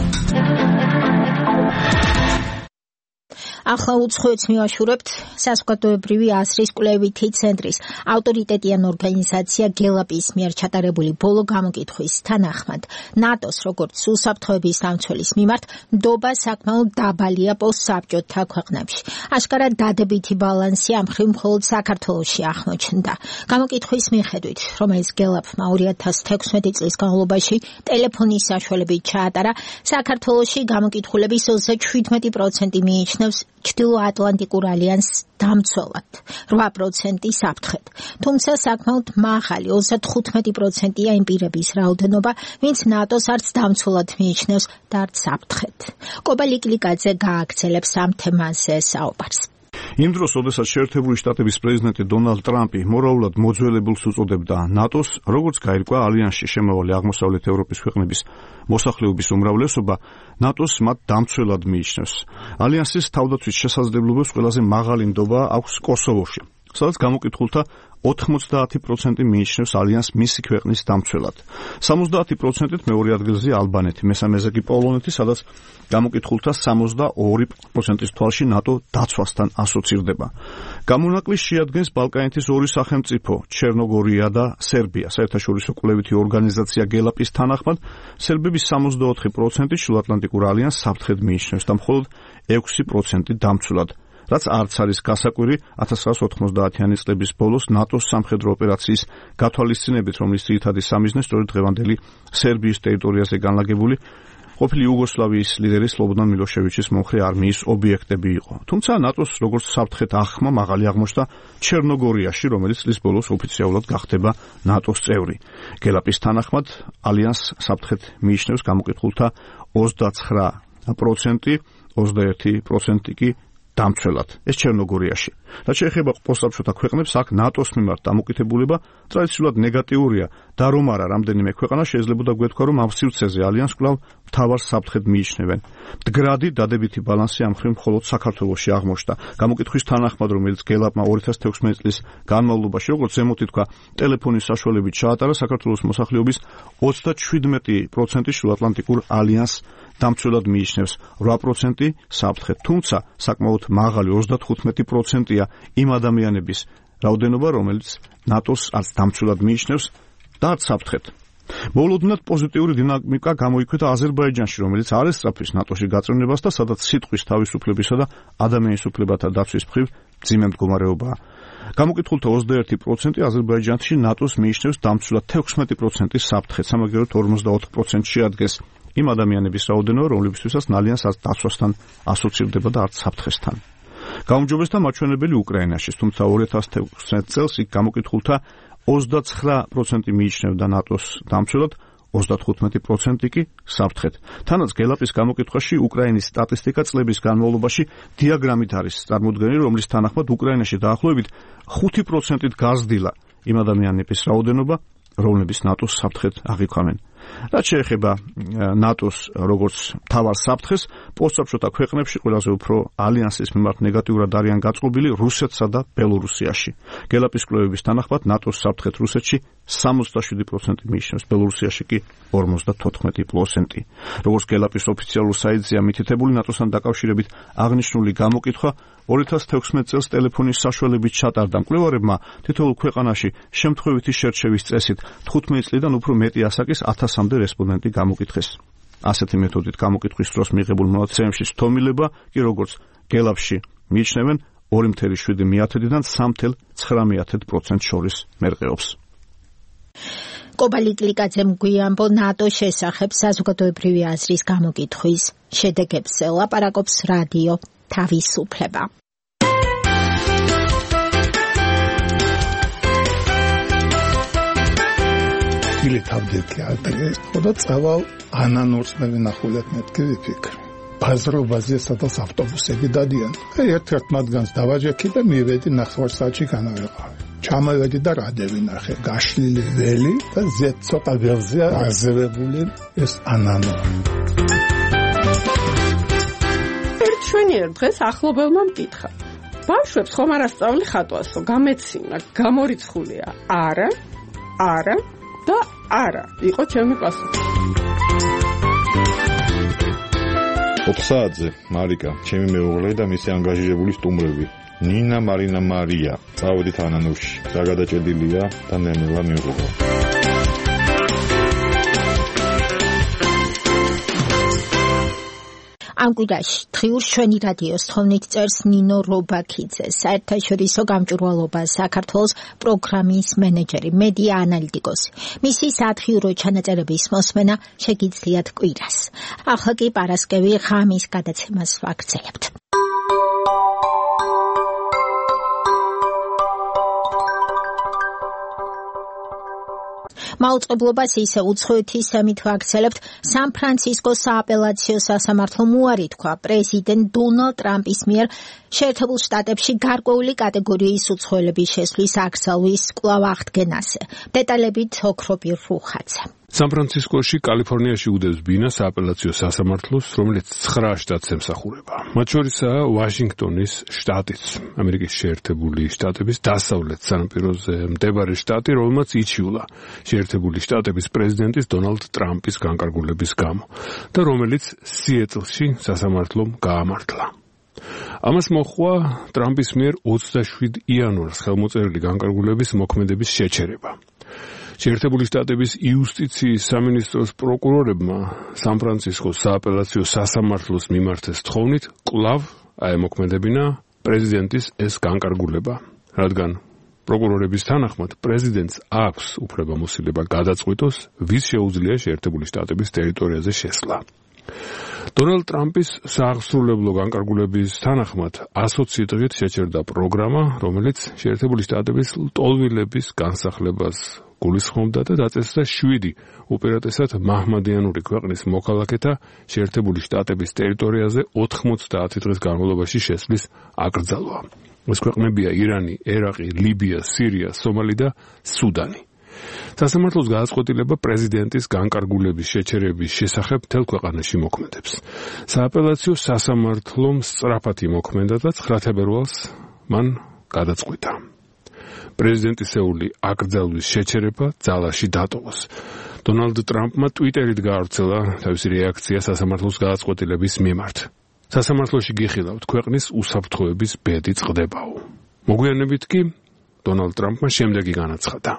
ახლა უცხოეთს მივაშურებთ საზოგადოებრივი აზრის კვლევითი ცენტრის ავტორიტეტიან ორგანიზაცია გელაპის მიერ ჩატარებული ბოლო გამოკითხვის თანახმად ნატოს როგორც უსაფრთხოების დამცველის მიმართ ნდობა საკმაოდ დაბალია პოსტსაბჭოთა ქვეყნებში. აშკარად დადებითი ბალანსი ამ მხრივ მხოლოდ საქართველოში აღმოჩნდა. გამოკითხვის მიხედვით, რომელიც გელაპმა two thousand sixteen წლის განმავლობაში ტელეფონის საშუალებით ჩაატარა, საქართველოში გამოკითხულების twenty-seven percent მიიჩნევს ჩრდილოატლანტიკურ ალიანსს დამცველად, eight percent საფრთხედ. თუმცა საკმაოდ მაღალი thirty-five percent-ია იმ პირების რაოდენობა, ვინც ნატოს არც დამცველად მიიჩნევს და არც საფრთხედ. კობა ლიკლიკაძე გააგრძელებს ამ თემაზე საუბარს. იმ დროს, როდესაც შეერთებული შტატების პრეზიდენტი დონალდ ტრამპი მორალურად მოძველებულს უწოდებდა ნატოს, როგორც გაირკვა ალიანსში შემავალი აღმოსავლეთ ევროპის ქვეყნების მოსახლეობის უმრავლესობა ნატოს მათ დამცველად მიიჩნევს. ალიანსის თავდაცვის შესაძლებლობებს ყველაზე მაღალი ნდობა აქვს კოსოვოში, სადაც გამოკითხულთა ninety percent მიიჩნევს ალიანსს მისი ქვეყნის დამცველად. seventy percent-ით მეორე ადგილზეა ალბანეთი, მესამეზე კი პოლონეთი, სადაც გამოკითხულთა seventy-two percent-ის თვალში ნატო დაცვასთან ასოცირდება. გამონაკლისს შეადგენს ბალკანეთის ორი სახელმწიფო, ჩერნოგორია და სერბია. საერთაშორისო კვლევითი ორგანიზაცია გელაპის თანახმად, სერბების seventy-four percent შუაატლანტიკურ ალიანსს საფრთხედ მიიჩნევს და მხოლოდ six percent დამცველად. რაც არც არის გასაკვირი nineteen ninety-იანი წლების ბოლოს ნატოს სამხედრო ოპერაციის გათვალისწინებით, რომლის ძირითადი სამიზნე სწორედ დღევანდელი სერბიის ტერიტორიაზე განლაგებული ყოფილი იუგოსლავიის ლიდერი სლობოდან მილოშევიჩის მომხრე არმიის ობიექტები იყო. თუმცა ნატოს როგორც საფრთხეთ აღქმა მაღალი აღმოჩნდა ჩერნოგორიაში, რომელიც წლის ბოლოს ოფიციალურად გახდება ნატოს წევრი. გელაპის თანახმად ალიანსს საფრთხეთ მიიჩნევს გამოკითხულთა twenty-nine percent, twenty-one percent კი დამცველად. ეს ჩერნოგორიაში. რაც შეეხება პოსტსაბჭოთა ქვეყნებს, აქ ნატოს მიმართ დამოკიდებულება ტრადიციულად ნეგატიურია და რომ არა რამდენიმე ქვეყანა შეიძლებოდა გვეთქვა, რომ ამ სივრცეზე ალიანსს კვლავ მთავარ საფრთხედ მიიჩნევენ. მდგრადი დადებითი ბალანსი ამ მხრივ მხოლოდ საქართველოში აღმოჩნდა. გამოკითხვის თანახმად, რომელიც გელაპმა two thousand sixteen წლის განმავლობაში, როგორც ზემოთ ითქვა, ტელეფონის საშუალებით ჩაატარა, საქართველოს მოსახლეობის thirty-seven percent შუაატლანტიკურ ალიანსს დამცველად მიიჩნევს, eight percent საფრთხედ. თუმცა საკმაოდ მაღალი thirty-five percent-ია იმ ადამიანების რაოდენობა, რომელიც ნატოს არც დამცველად მიიჩნევს და არც საფრთხედ. მოულოდნელად პოზიტიური დინამიკა გამოიკვეთა აზერბაიჯანში, რომელიც არ ესწრაფვის ნატოში გაწევნებას და სადაც სიტყვის თავისუფლებისა და ადამიანის უფლებათა დაცვის მხრივ მძიმე მდგომარეობაა. გამოკითხულთა twenty-one percent აზერბაიჯანში ნატოს მიიჩნევს დამცველად sixteen percent საფრთხედ, სამაგიეროდ forty-four percent შეადგენს იმ ადამიანების რაოდენობა, რომლებისთვისაც ალიანსს არც დაცვასთან ასოცირდება და არც საფრთხესთან. გაუმჯობესდა მაჩვენებელი უკრაინაში, თუმცა two thousand sixteen წელს იქ გამოკითხულთა twenty-nine percent მიიჩნევდა ნატოს დამცველად, thirty-five percent კი საფრთხედ. თანაც გელაპის გამოკითხვაში უკრაინის სტატისტიკა წლების განმავლობაში დიაგრამით არის წარმოდგენილი, რომლის თანახმად უკრაინაში დაახლოებით five percent-ით გაზრდილა იმ ადამიანების რაოდენობა, რომლებიც ნატოს საფრთხედ აღიქვამენ. რაც შეეხება ნატოს როგორც მთავარ საფრთხეს, პოსტსაბჭოთა ქვეყნებში ყველაზე უფრო ალიანსის მიმართ ნეგატიურად არიან გაწყობილი რუსეთსა და ბელორუსიაში. გელაპის კვლევების თანახმად ნატოს საფრთხეთ რუსეთში seventy-seven percent მიიჩნევს, ბელორუსიაში კი forty-four percent. როგორც გელაპის ოფიციალურ საიტზეა მითითებული, ნატოსთან დაკავშირებით აღნიშნული გამოკითხვა two thousand sixteen წელს ტელეფონის საშუალებით ჩატარდა მკვლევარებმა თითოეულ ქვეყანაში შემთხვევითი შერჩევის წესით fifteen წლიდან უფრო მეტი ასაკის one thousand-მდე რესპონდენტი გამოკითხეს. ასეთი მეთოდით გამოკითხვის დროს მიღებულ მონაცემებში სტომილება კი როგორც გელაპში მიიჩნევენ two point seven მეთოდიდან three point nine percent შორის მერყეობს. კობა ლიკლიკაძემ გვიამბო ნატოს შესახებ საზოგადოებრივი აზრის გამოკითხვის შედეგებზე ლაპარაკობს რადიო თავისუფლება. მილი თავდექი ადრე, ხოდა წავალ ანანურს მე ვინახულებ მეთქი ვიფიქრე. ბაზრობაზე, სადაც ავტობუსები დადიან. ერთ-ერთ მათგანს დავაჯექი და მივედი ნახევარ საათში განავეყავი. ჩამოვედი და რადევი ნახე, გაშლილი ველი და ზედ ცოტა ველზე აზევებული ეს ანანო. ერთ შვენიერ დღეს ახლობელმა მკითხა. ბავშვებს ხომ არ ასწავლი ხატვასო, გამეცინა, გამორიცხულია. არა, არა და არა, იყო ჩემი პასუხი. ოთხსაათზე მარიკა, ჩემი მეუღლე და მისი ანგაჟირებული სტუმრები. ნინა, მარინა, მარია. წავედით ანანუში. რა გადაჭედილია და ნენელა მიუღო. ამ კვირაში დღიურ შვენი რადიოს თხოვნით წერს ნინო რობაქიძე, საერთაშორისო გამჭვირვალობა საქართველოს პროგრამის მენეჯერი, მედია ანალიტიკოსი. მისი საათღიურო ჩანაწერების მოსმენა შეგიძლიათ კვირას. ახლა კი პარასკევი ღამის გადაცემას ვაგრძელებთ. მაუწყებლობას ისე უცხოეთის სამით ვაგრძელებთ. სან-ფრანცისკოს სააპელაციო სასამართლომ უარი თქვა პრეზიდენტ დონალდ ტრამპის მიერ შეერთებულ შტატებში გარკვეული კატეგორიის უცხოელების შესვლის აკრძალვის კვლავ აღდგენაზე. დეტალებით ოქრობირ რუხაძე. სან-ფრანცისკოში, კალიფორნიაში უდევს ბინას სააპელაციო სასამართლოს, რომელიც ცხრა შტატს ემსახურება. მათ შორისაა ვაშინგტონის შტატიც, ამერიკის შეერთებული შტატების დასავლეთ სანაპიროზე მდებარე შტატი, რომელმაც იჩიულა შეერთებული შტატების პრეზიდენტის დონალდ ტრამპის განკარგულების გამო და რომელიც სიეტლში სასამართლომ გაამართლა. ამას მოჰყვა ტრამპის მიერ ოცდაშვიდ იანვარს ხელმოწერილი განკარგულების მოქმედების შეჩერება. შეერთებული შტატების იუსტიციის სამინისტროს პროკურორებმა სან-ფრანცისკოს სააპელაციო სასამართლოს მიმართეს თხოვნით კვლავ აემოქმედებინა პრეზიდენტის ეს განკარგულება, რადგან პროკურორების თანახმად პრეზიდენტს აქვს უფლებამოსილება გადაწყვიტოს, ვის შეუძლია შეერთებული შტატების ტერიტორიაზე შესვლა. დონალდ ტრამპის სააღსრულებლო განკარგულების თანახმად ასოცი დღით შეჩერდა პროგრამა, რომელიც შეერთებული შტატების ლტოლვილების განსახლებას გულისხმობდა და დაწესდა შვიდი უპირატესად მაჰმადიანური ქვეყნის მოქალაქეთა შეერთებული შტატების ტერიტორიაზე ოთხმოცდაათი დღის განმავლობაში შესვლის აკრძალვა. ეს ქვეყნებია ირანი, ერაყი, ლიბია, სირია, სომალი და სუდანი. სასამართლოს გადაწყვეტილება პრეზიდენტის განკარგულების შეჩერების შესახებ მთელ ქვეყანაში მოქმედებს. სააპელაციო სასამართლომ სწრაფად იმოქმედა და ცხრა თებერვალს მან გადაწყვიტა პრეზიდენტისეული აკრძალვის შეჩერება ძალაში დატოვოს. დონალდ ტრამპმა ტვიტერით გაავრცელა თავისი რეაქცია სასამართლოს გადაწყვეტილების მიმართ. სასამართლოში გიხილავთ, ქვეყნის უსაფრთხოების ბედი წყდებაო. მოგვიანებით კი დონალდ ტრამპმა შემდეგი განაცხადა.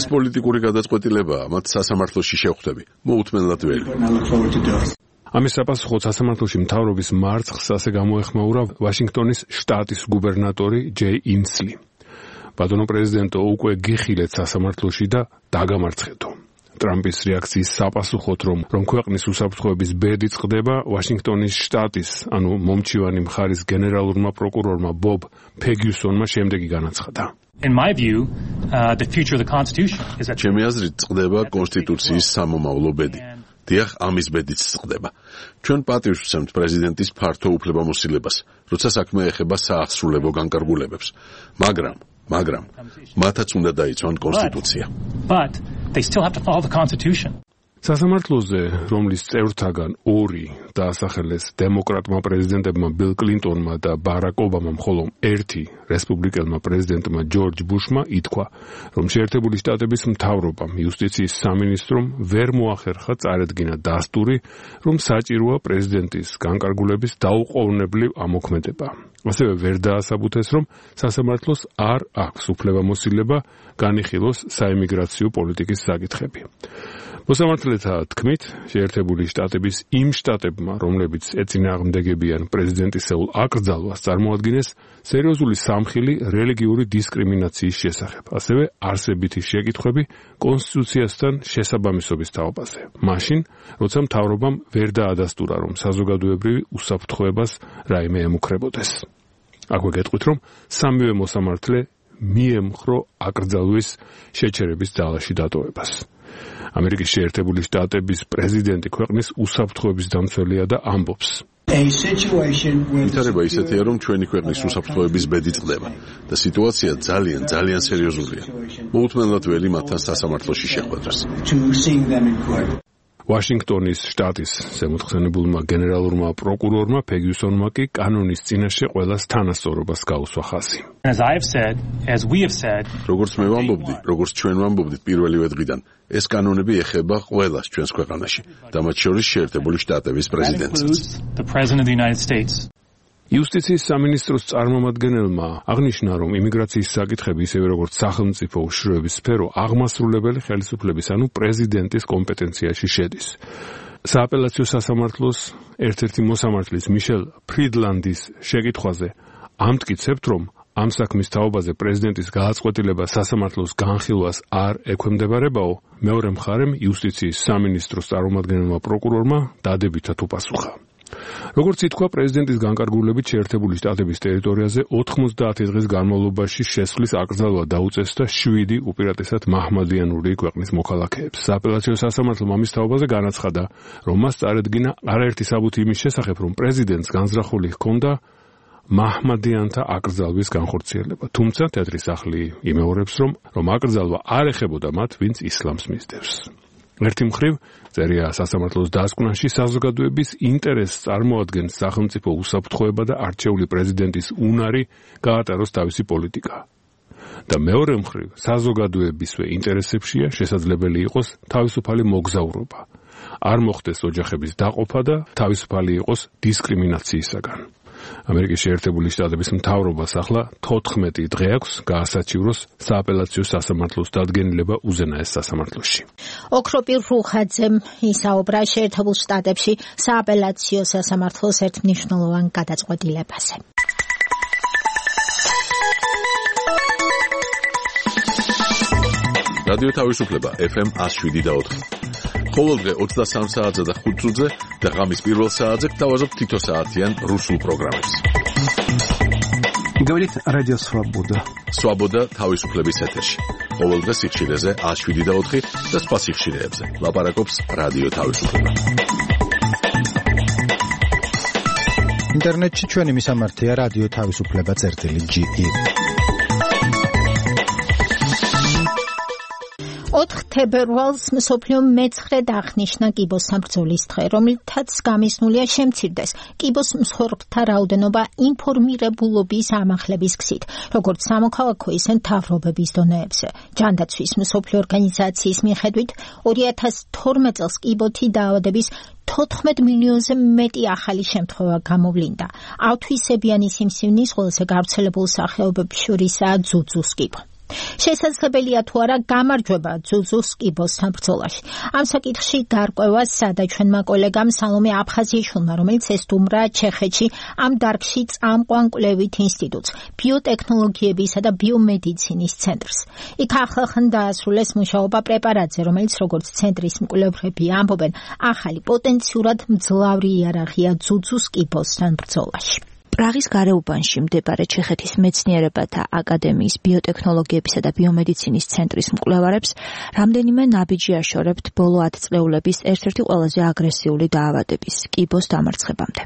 ეს პოლიტიკური გადაწყვეტილებაა, მათ სასამართლოში შევხვდები. მოუთმენლად ველი. ამის საპასუხოდ სასამართლოში მთავრობის მარცხს ასე გამოეხმაურა ვაშინგტონის შტატის გუბერნატორი ჯეი ინსლი. ბატონო პრეზიდენტო, უკვე გიხილეთ სასამართლოში და დაგამარცხეთო. ტრამპის რეაქციის საპასუხოდ, რომ რომ ქვეყნის უსაფრთხოების ბედი წყდება, ვაშინგტონის შტატის, ანუ მომჩივანი მხარის გენერალურმა პროკურორმა ბობ ფეგიუსონმა შემდეგი განაცხადა. In my view, uh, the future of the Constitution is that ჩემი აზრით წყდება კონსტიტუციის სამომავლო ბედი. დიახ, ამის ბედიც წყდება. ჩვენ პატივს ვცემთ პრეზიდენტის ფართო უფლებამოსილებას, როცა საქმე ეხება სააღსრულებო განკარგულებებს. მაგრამ, მაგრამ მათაც უნდა დაიცვან კონსტიტუცია. But they still have to follow the Constitution. სასამართლოზე, რომლის წევრთაგან ორი დაასახელეს დემოკრატმა პრეზიდენტებმა ბილ კლინტონმა და ბარაკ ობამამ, ხოლო ერთი რესპუბლიკელმა პრეზიდენტმა ჯორჯ ბუშმა ითქვა, რომ შეერთებული შტატების მთავრობამ, იუსტიციის სამინისტრომ ვერ მოახერხა წარედგინა დასტური, რომ საჭიროა პრეზიდენტის განკარგულების დაუყოვნებლივ ამოქმედება. ასევე ვერ დაასაბუთეს, რომ სასამართლოს არ აქვს უფლებამოსილება განიხილოს საიმიგრაციო პოლიტიკის საკითხები. მოსამართლეთა თქმით, შეერთებული შტატების იმ შტატებმა, რომლებიც ეწინააღმდეგებიან პრეზიდენტისეულ აკრძალვას, წარმოადგენეს სერიოზული სამხილი რელიგიური დისკრიმინაციის შესახებ, ასევე არსებითი შეკითხვები კონსტიტუციასთან შესაბამისობის თაობაზე. მაშინ, როცა მთავრობამ ვერ დაადასტურა, რომ საზოგადოებრივი უსაფრთხოებას რაიმე ემუქრებოდეს. აქვე გეტყვით, რომ სამივე მოსამართლე მიემხრო აკრძალვის შეჩერების ძალაში დატოვებას. ამერიკის შეერთებული შტატების პრეზიდენტი ქვეყნის უსაფრთხოების დამცველია და ამბობს: ვითარება ისეთია, რომ ჩვენი ქვეყნის უსაფრთხოების ბედი წყდება და სიტუაცია ძალიან ძალიან სერიოზულია. მოუთმენლად ველი მათთან სასამართლოში შეხვედრას. ვაშინგტონის შტატის ზემოთხსენებულმა გენერალურმა პროკურორმა ფეგიუსონმა კი კანონის წინაშე ყველას თანასწორობას გაუსვა ხაზი. As I have said, as we have said, როგორც მე ვამბობდი, როგორც ჩვენ ვამბობდით პირველივე დღიდან, ეს კანონები ეხება ყველას ჩვენს ქვეყანაში და მათ შორის შეერთებული შტატების პრეზიდენტსაც. the President of the United States. იუსტიციის სამინისტროს წარმომადგენელმა აღნიშნა, რომ იმიგრაციის საკითხები, ისევე როგორც სახელმწიფო უშიშროების სფერო, აღმასრულებელი ხელისუფლების, ანუ პრეზიდენტის კომპეტენციაში შედის. სააპელაციო სასამართლოს ერთ-ერთი მოსამართლის მიშელ ფრიდლანდის შეკითხვაზე ამტკიცებთ, რომ ამ საქმის თაობაზე პრეზიდენტის გააწყვეტილება სასამართლოს განხილვას არ ექვემდებარებაო, მეორე მხარემ იუსტიციის სამინისტროს წარმომადგენელმა პროკურორმა დადებითად უპასუხა. როგორც ითქვა, პრეზიდენტის განკარგულებით შეერთებული შტატების ტერიტორიაზე ოთხმოცდაათი დღის განმავლობაში შესვლის აკრძალვა დაუწეს და შვიდი უპირატესად მაჰმადიანური ქვეყნის მოქალაქეებს. სააპელაციო სასამართლომ ამის თაობაზე განაცხადა, რომ მას წარედგინა არაერთი საბუთი იმის შესახებ, რომ პრეზიდენტს განზრახული ჰქონდა მაჰმადიანთა აკრძალვის განხორციელება. თუმცა თეთრი სახლი იმეორებს, რომ რომ აკრძალვა არ ეხებოდა მათ, ვინც ისლამს მისდევს. ერთი მხრივ, წერია სასამართლოს დასკვნაში, საზოგადოების ინტერესს წარმოადგენს სახელმწიფო უსაფრთხოება და არჩეული პრეზიდენტის უნარი გაატაროს თავისი პოლიტიკა. და მეორე მხრივ, საზოგადოებისვე ინტერესებშია შესაძლებელი იყოს თავისუფალი მოგზაურობა. არ მოხდეს ოჯახების დაყოფა და თავისუფალი იყოს დისკრიმინაციისაგან. ამერიკის შეერთებული შტატების მთავრობას ახლა თოთხმეტი დღე აქვს გაასაჩივროს სააპელაციო სასამართლოს დადგენილება უზენაეს სასამართლოში. ოქროპირ რუხაძემ ისაუბრა შეერთებულ შტატებში სააპელაციო სასამართლოს ერთმნიშვნელოვან გადაწყვეტილებაზე. რადიო თავისუფლება ეფ ემ one oh seven და ოთხი. ყოველდღე ოცდასამ საათზე და ხუთ წუთზე და ღამის პირველ საათზე გთავაზობთ თითო საათიან რუსულ პროგრამებს. Говорит Радио Свобода. Свобода თავისუფლების ეთერში. ყოველდღე სიხშირეზე one oh seven და ოთხი და სხვა სიხშირეებზე. ლაპარაკობს რადიო თავისუფლება. ინტერნეტში ჩვენი მისამართია რადიო თავისუფლება წერტილი ჯი ი. ოთხ თებერვალს მსოფლიო მეცხრედ აღნიშნა კიბოს საბრძოლის დღე, რომლითაც გამიზნულია შემცირდეს კიბოს მსხვერპლთა რაოდენობა ინფორმირებულობის ამახლების გზით, როგორც სამოქალაქო, ისე მთავრობების დონეებზე. ჯანდაცვის მსოფლიო ორგანიზაციის მიხედვით, ორი ათას თორმეტ წელს კიბოთი დაავადების თოთხმეტ მილიონზე მეტი ახალი შემთხვევა გამოვლინდა. ავთვისებიანი სიმსივნის ყველაზე გავრცელებულ სახეობების შორისაა ძუძუს კიბო. შესაძლებელია თუ არა გამარჯვება ძუძუს კიბოსთან ბრძოლაში. ამ საკითხში გარკვევას სადა ჩვენმა კოლეგამ სალომე აფხაზიაშვილმა, რომელიც ესტუმრა ჩეხეთში ამ დარგში წამყვან კვლევით ინსტიტუტს, ბიოტექნოლოგიებისა და ბიომედიცინის ცენტრს. იქ ახლახან დაასრულეს მუშაობა პრეპარატზე, რომელიც როგორც ცენტრის მკვლევრები ამბობენ, ახალი პოტენციურად მძლავრი იარაღია ძუძუს კიბოსთან ბრძოლაში. პრაღის გარეუბანში მდებარე ჩეხეთის მეცნიერებათა აკადემიის ბიოტექნოლოგიებისა და ბიომედიცინის ცენტრის მკვლევარებს რამდენიმე ნაბიჯი აშორებთ ბოლო ათწლეულების ერთ-ერთი ყველაზე აგრესიული დაავადების კიბოს დამარცხებამდე.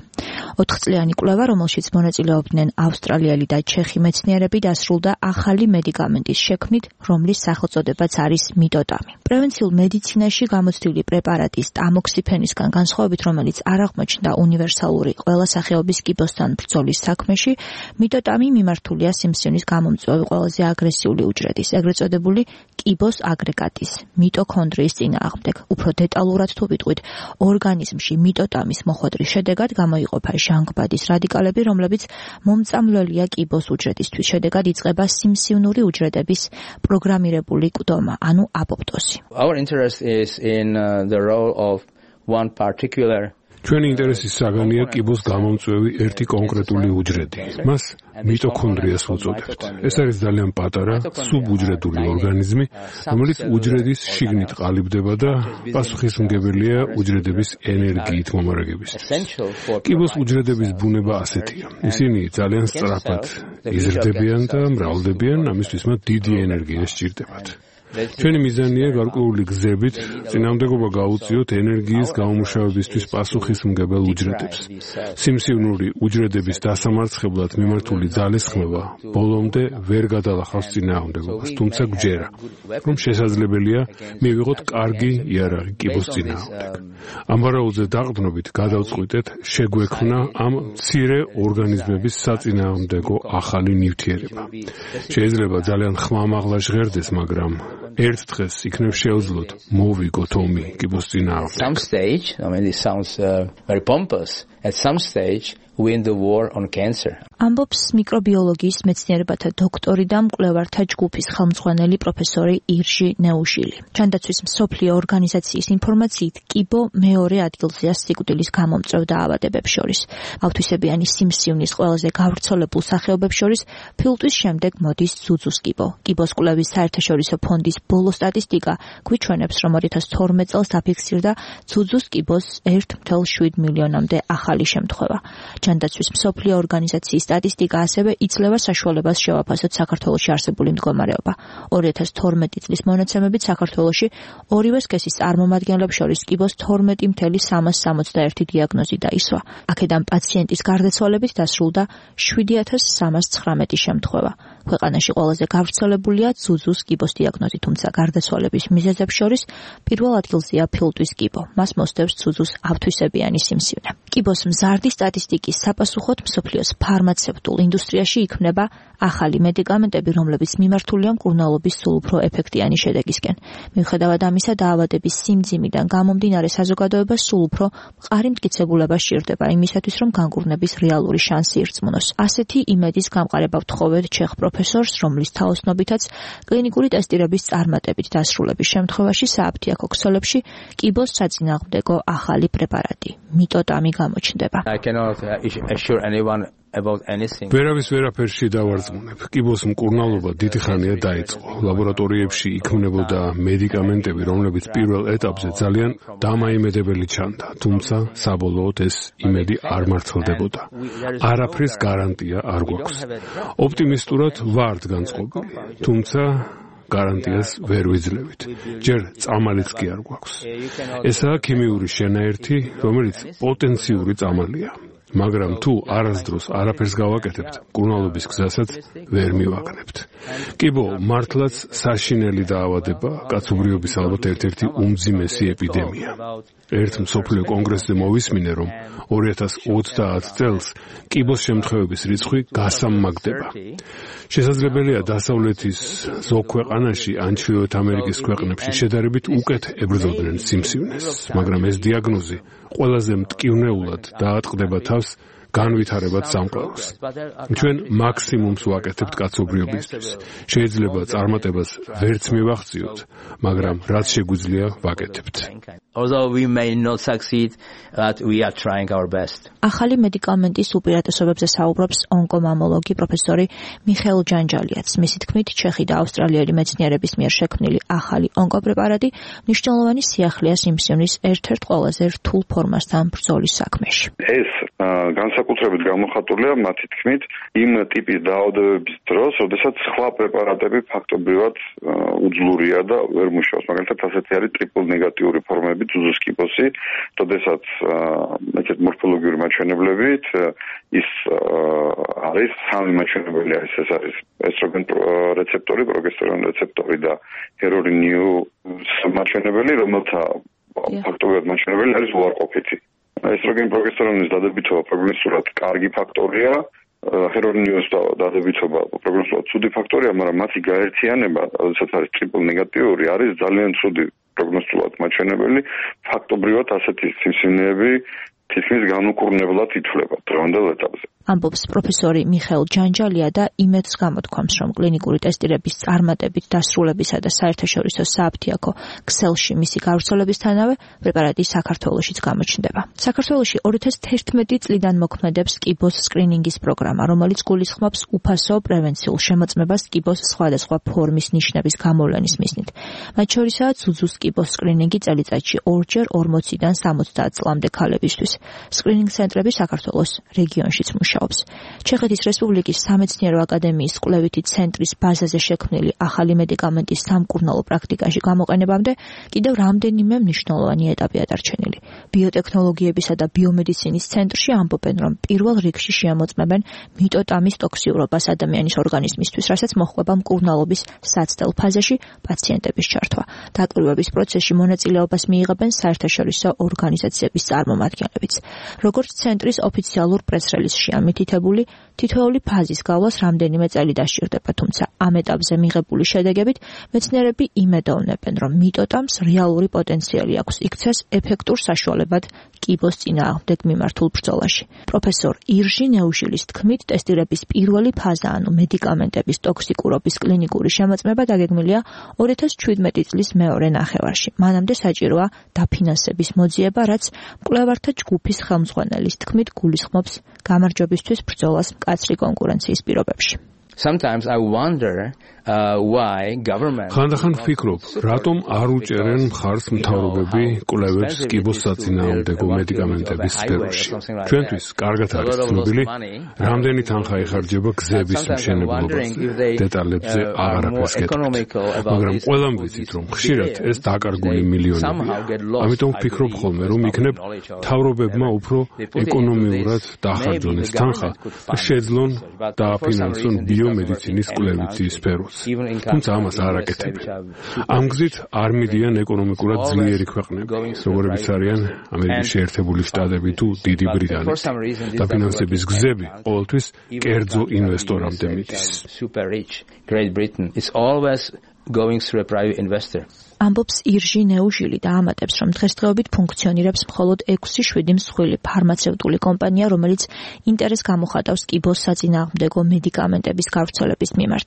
ოთხწლიანი კვლევა, რომელშიც მონაწილეობდნენ ავსტრალიელი და ჩეხი მეცნიერები, დასრულდა ახალი მედიკამენტის შექმნით, რომლის სახელწოდებაც არის მიტოტამი. პრევენციულ მედიცინაში გამოცდილი პრეპარატის ტამოქსიფენისგან განსხვავებით, რომელიც არ აღმოჩნდა უნივერსალური ყველა სახეობის კიბოსთან ბრძოლის საქმეში, მიტოტამი მიმართულია სიმსივნის გამომწვევი ყველაზე აგრესიული უჯრედის, ეგრეთ წოდებული კიბოს აგრეგატის, მიტოქონდრიის წინააღმდეგ. უფრო დეტალურად თუ ვიტყვით, ორგანიზმში მიტოტამის მოხვედრის შედეგად გამოიყოფა ჟანგბადის რადიკალები, რომლებიც მომწამლველია კიბოს უჯრედისთვის. შედეგად იწყება სიმსივნური უჯრედების პროგრამირებული კვდომა, ანუ აპოპტოზი. Our interest is in uh, the role of one particular ჩვენი ინტერესის საგანია კიბოს გამომწვევი ერთი კონკრეტული უჯრედი. მას მიტოქონდრიას უწოდებთ. ეს არის ძალიან პატარა სუბუჯრედული ორგანიზმი, რომელიც უჯრედის შიგნით ყალიბდება და პასუხისმგებელია უჯრედების ენერგიით მომარაგებისთვის. კიბოს უჯრედების ბუნება ასეთია. ისინი ძალიან სწრაფად იზრდებიან და მრავლდებიან, ამისთვის მათ დიდი ენერგია სჭირდებათ. ჩვენი მიზანია გარკვეული გზებით წინააღმდეგობა გაუწიოთ ენერგიის გამომუშავებისთვის პასუხისმგებელ უჯრედებს. სიმსივნური უჯრედების დასამარცხებლად მიმართული ძალისხმევა ბოლომდე ვერ გადალახავს წინააღმდეგობას, თუმცა გვჯერა, რომ შესაძლებელია მივიღოთ კარგი იარაღი კიბოს წინააღმდეგ. ამ ვარაუდზე დაყრდნობით გადავწყვიტეთ შეგვექმნა ამ მცირე ორგანიზმების საწინააღმდეგო ახალი ნივთიერება. შეიძლება ძალიან ხმამაღლა ჟღერდეს, მაგრამ ერთ დღეს იქნებ შეუძლოთ მოვიგოთ ომი კიბოს წინააღმდეგ. Some stage, I mean this sounds uh, very pompous. At some stage win the war on cancer. ამბობს მიკრობიოლოგიის მეცნიერებათა დოქტორი და მკვლევართა ჯგუფის ხელმძღვანელი პროფესორი ირჟი ნეუშილი. ჯანდაცვის მსოფლიო ორგანიზაციის ინფორმაციით, კიბო მეორე ადგილზეა სიკვდილის გამომწვევ დაავადებებს შორის. ავთვისებიანი სიმსივნის ყველაზე გავრცელებულ სახეობებს შორის ფილტვის შემდეგ მოდის ძუძუს კიბო. კიბოს კვლევის საერთაშორისო ფონდის ბოლო სტატისტიკა გვიჩვენებს, რომ ორი ათას თორმეტ წელს დაფიქსირდა ძუძუს კიბოს ერთ წუთი შვიდ მილიონამდე ახალი შემთხვევა. ჯანდაცვის მსოფლიო ორგანიზაციის სტატისტიკა ასევე იძლევა საშუალებას შევაფასოთ საქართველოში არსებული მდგომარეობა. ორი ათას თორმეტი წლის მონაცემებით საქართველოში ორივე სქესის წარმომადგენლებს შორის კიბოს თორმეტი წუთი სამას სამოცდაერთი დიაგნოზი დაისვა. აქედან პაციენტის გარდაცვალებით დასრულდა შვიდი ათას სამას ცხრამეტი შემთხვევა. ქვეყანაში ყველაზე გავრცელებულია ძუძუს კიბოს დიაგნოზი, თუმცა გარდაცვალების მიზეზებს შორის პირველ ადგილზეა ფილტვის კიბო. მას მოსდევს ძუძუს ავთვისებიანი სიმსივნე. კიბოს მზარდი სტატისტიკის საპასუხოდ მსოფლიოს ფარმაცევტულ ინდუსტრიაში იქმნება ახალი მედიკამენტები, რომლებიც მიმართულია მკურნალობის სულ უფრო ეფექტიანი შედეგისკენ. მიუხედავად ამისა, დაავადების სიმძიმიდან გამომდინარე საზოგადოებას სულ უფრო მყარი მტკიცებულება სჭირდება იმისათვის, რომ განკურნების რეალური შანსი ირწმუნოს. ასეთი იმედის გამყარება ვთხოვეთ ჩეხ პროფესორს, რომლის თაოსნობითაც კლინიკური ტესტირების წარმატებით დასრულების შემთხვევაში სააფთიაქო ქსელებში კიბოს საწინააღმდეგო ახალი პრეპარატი მიტოტამი გამოჩნდება. I cannot assure anyone about anything. ვერავის ვერაფერში დავარწმუნებ. კიბოს მკურნალობა დიდი ხანია დაიწყო. ლაბორატორიებში იქმნებოდა მედიკამენტები, რომლებიც პირველ ეტაპზე ძალიან დამაიმედებელი ჩანდა, თუმცა საბოლოოდ ეს იმედი არ მართლდებოდა. არაფრის გარანტია არ გვაქვს. ოპტიმისტურად ვართ განწყობილი, თუმცა გარანტიას ვერ ვიძლევით. ჯერ წამალიც კი არ გვაქვს. ესაა ქიმიური შენაერთი, რომელიც პოტენციური წამალია. მაგრამ თუ არასდროს არაფერს გავაკეთებთ, მკურნალობის გზასაც ვერ მივაგნებთ. კიბო მართლაც საშინელი დაავადება, კაცობრიობის ალბათ ერთ-ერთი უმძიმესი ეპიდემია. ერთ მსოფლიო კონგრესზე მოვისმინე, რომ ორი ათას ოცდაათ წელს კიბოს შემთხვევების რიცხვი გასამაგდება. შესაძლებელია დასავლეთის ზოგ ქვეყანაში ან ჩრდილოეთ ამერიკის ქვეყნებში შედარებით უკეთ ებრძოდნენ სიმსივნეს, მაგრამ ეს დიაგნოზი ყველაზე მტკივნეულად დაატყდება თავს განვითარებად სამყაროს. ჩვენ მაქსიმუმს ვაკეთებთ კაცობრიობისთვის. შეიძლება წარმატებას ვერც მივახციოთ, მაგრამ რაც შეგვიძლია ვაკეთებთ. Although we may not succeed, but we are trying our best. ახალი მედიკამენტის უპირატესობებზე საუბრობს ონკომამოლოგი პროფესორი მიხეილ ჯანჯალიაც. მისი თქმით, ჩეხი და ავსტრალიელი მეცნიერების მიერ შექმნილი ახალი ონკოპრეპარატი მნიშვნელოვანი სიახლეა სიმსივნის ერთ-ერთ ყველაზე რთულ ფორმასთან ბრძოლის საქმეში. ეს განსაკუთრებით გამოხატულია მათი თქმით იმ ტიპის დაავადებების დროს, როდესაც სხვა პრეპარატები ფაქტობრივად უძლურია და ვერ მუშაობს. მაგალითად, ასეთი არის ტრიპლ ნეგატიური ფორმები, ძუძუს კიბოსი, როდესაც ესეთ მორფოლოგიური მაჩვენებლებით ის არის სამი მაჩვენებელი არის, ეს არის ესტროგენ რეცეპტორი, პროგესტერონ რეცეპტორი და ჰერონიუ მაჩვენებელი, რომელთა ფაქტობრივად მაჩვენებელი არის უარყოფითი. ესტროგენ პროგესტერონის დადებითობა პროგნოსტულად კარგი ფაქტორია, ჰერონიუს დადებითობა პროგნოსტულად ცუდი ფაქტორია, მაგრამ მათი გაერთიანება, როდესაც არის ტრიპლ ნეგატიური, არის ძალიან ცუდი პროგნოსტულად მაჩვენებელი. ფაქტობრივად ასეთი სიმსივნეები თითქმის განუკურნებლად ითვლება დღევანდელ ეტაპზე. ამბობს პროფესორი მიხეილ ჯანჯალია და იმედს გამოთქვამს, რომ კლინიკური ტესტირების წარმატებით დასრულებისა და საერთაშორისო სააფთიაქო ქსელში მისი გავრცელებისთანავე პრეპარატი საქართველოშიც გამოჩნდება. საქართველოში ორი ათას თერთმეტი წლიდან მოქმედებს კიბოს სკრინინგის პროგრამა, რომელიც გულისხმობს უფასო პრევენციულ შემოწმებას კიბოს სხვადასხვა ფორმის ნიშნების გამოვლენის მიზნით. მათ შორისაა ძუძუს კიბოს სკრინინგი წელიწადში ორჯერ ორმოციდან სამოცდაათ წლამდე ქალებისთვის. სკრინინგ ცენტრები საქართველოს რეგიონშიც მუშაობს. მუშაობს. ჩეხეთის რესპუბლიკის სამეცნიერო აკადემიის კვლევითი ცენტრის ბაზაზე შექმნილი ახალი მედიკამენტის სამკურნალო პრაქტიკაში გამოყენებამდე კიდევ რამდენიმე მნიშვნელოვანი ეტაპია დარჩენილი. ბიოტექნოლოგიებისა და ბიომედიცინის ცენტრში ამბობენ, რომ პირველ რიგში შეამოწმებენ მიტოტამის ტოქსიურობას ადამიანის ორგანიზმისთვის, რასაც მოჰყვება მკურნალობის საცდელ ფაზაში პაციენტების ჩართვა. დაკვირვების პროცესში მონაწილეობას მიიღებენ საერთაშორისო ორგანიზაციების წარმომადგენლებიც. როგორც ცენტრის ოფიციალურ პრეს-რელიზშია მითითებული, თითოეული ფაზის გავლას რამდენიმე წელი დასჭირდება, თუმცა ამ ეტაპზე მიღებული შედეგებით მეცნიერები იმედოვნებენ, რომ მიტოტამს რეალური პოტენციალი აქვს იქცეს ეფექტურ საშუალებად კიბოს წინააღმდეგ მიმართულ ბრძოლაში. პროფესორ ირჟი ნეუშილის თქმით, ტესტირების პირველი ფაზა, ანუ მედიკამენტების ტოქსიკურობის კლინიკური შემოწმება დაგეგმილია ორი ათას შვიდმეტი წლის მეორე ნახევარში. მანამდე საჭიროა დაფინანსების მოძიება, რაც მკვლევართა ჯგუფის ხელმძღვანელის თქმით გულისხმობს გამარჯვებისთვის ბრძოლას მკაცრი კონკურენციის პირობებში. Sometimes I wonder uh, why government ხანდახან ვფიქრობ, რატომ არ უჭერენ მხარს მთავრობები კვლევებს კიბოს საწინააღმდეგო მედიკამენტების სფეროში. ჩვენთვის კარგად არის ცნობილი, რამდენი თანხა იხარჯება გზების მშენებლობაზე. დეტალებზე აღარაფერს გეტყვით. მაგრამ ყველამ ვიცით, რომ ხშირად ეს დაკარგული მილიონებია. ამიტომ ვფიქრობ ხოლმე, რომ იქნებ მთავრობებმა უფრო ეკონომიურად დაახარჯონ ეს თანხა და შეძლონ დააფინანსონ ბიომედიცინის კვლევითი სფეროს. თუმცა ამას არ აკეთებენ. ამ გზით არ მიდიან ეკონომიკურად ძლიერი ქვეყნები, როგორებიც არიან ამერიკის შეერთებული შტატები თუ დიდი ბრიტანეთი. და ფინანსების გზები ყოველთვის კერძო ინვესტორამდე მიდის. Great Britain is always going through a private investor. ამბობს ირჟი ნეუჟილი და ამატებს, რომ დღესდღეობით ფუნქციონირებს მხოლოდ ექვსი შვიდი მსხვილი ფარმაცევტული კომპანია, რომელიც ინტერესს გამოხატავს კიბოს საწინააღმდეგო მედიკამენტების გავრცელების მიმართ.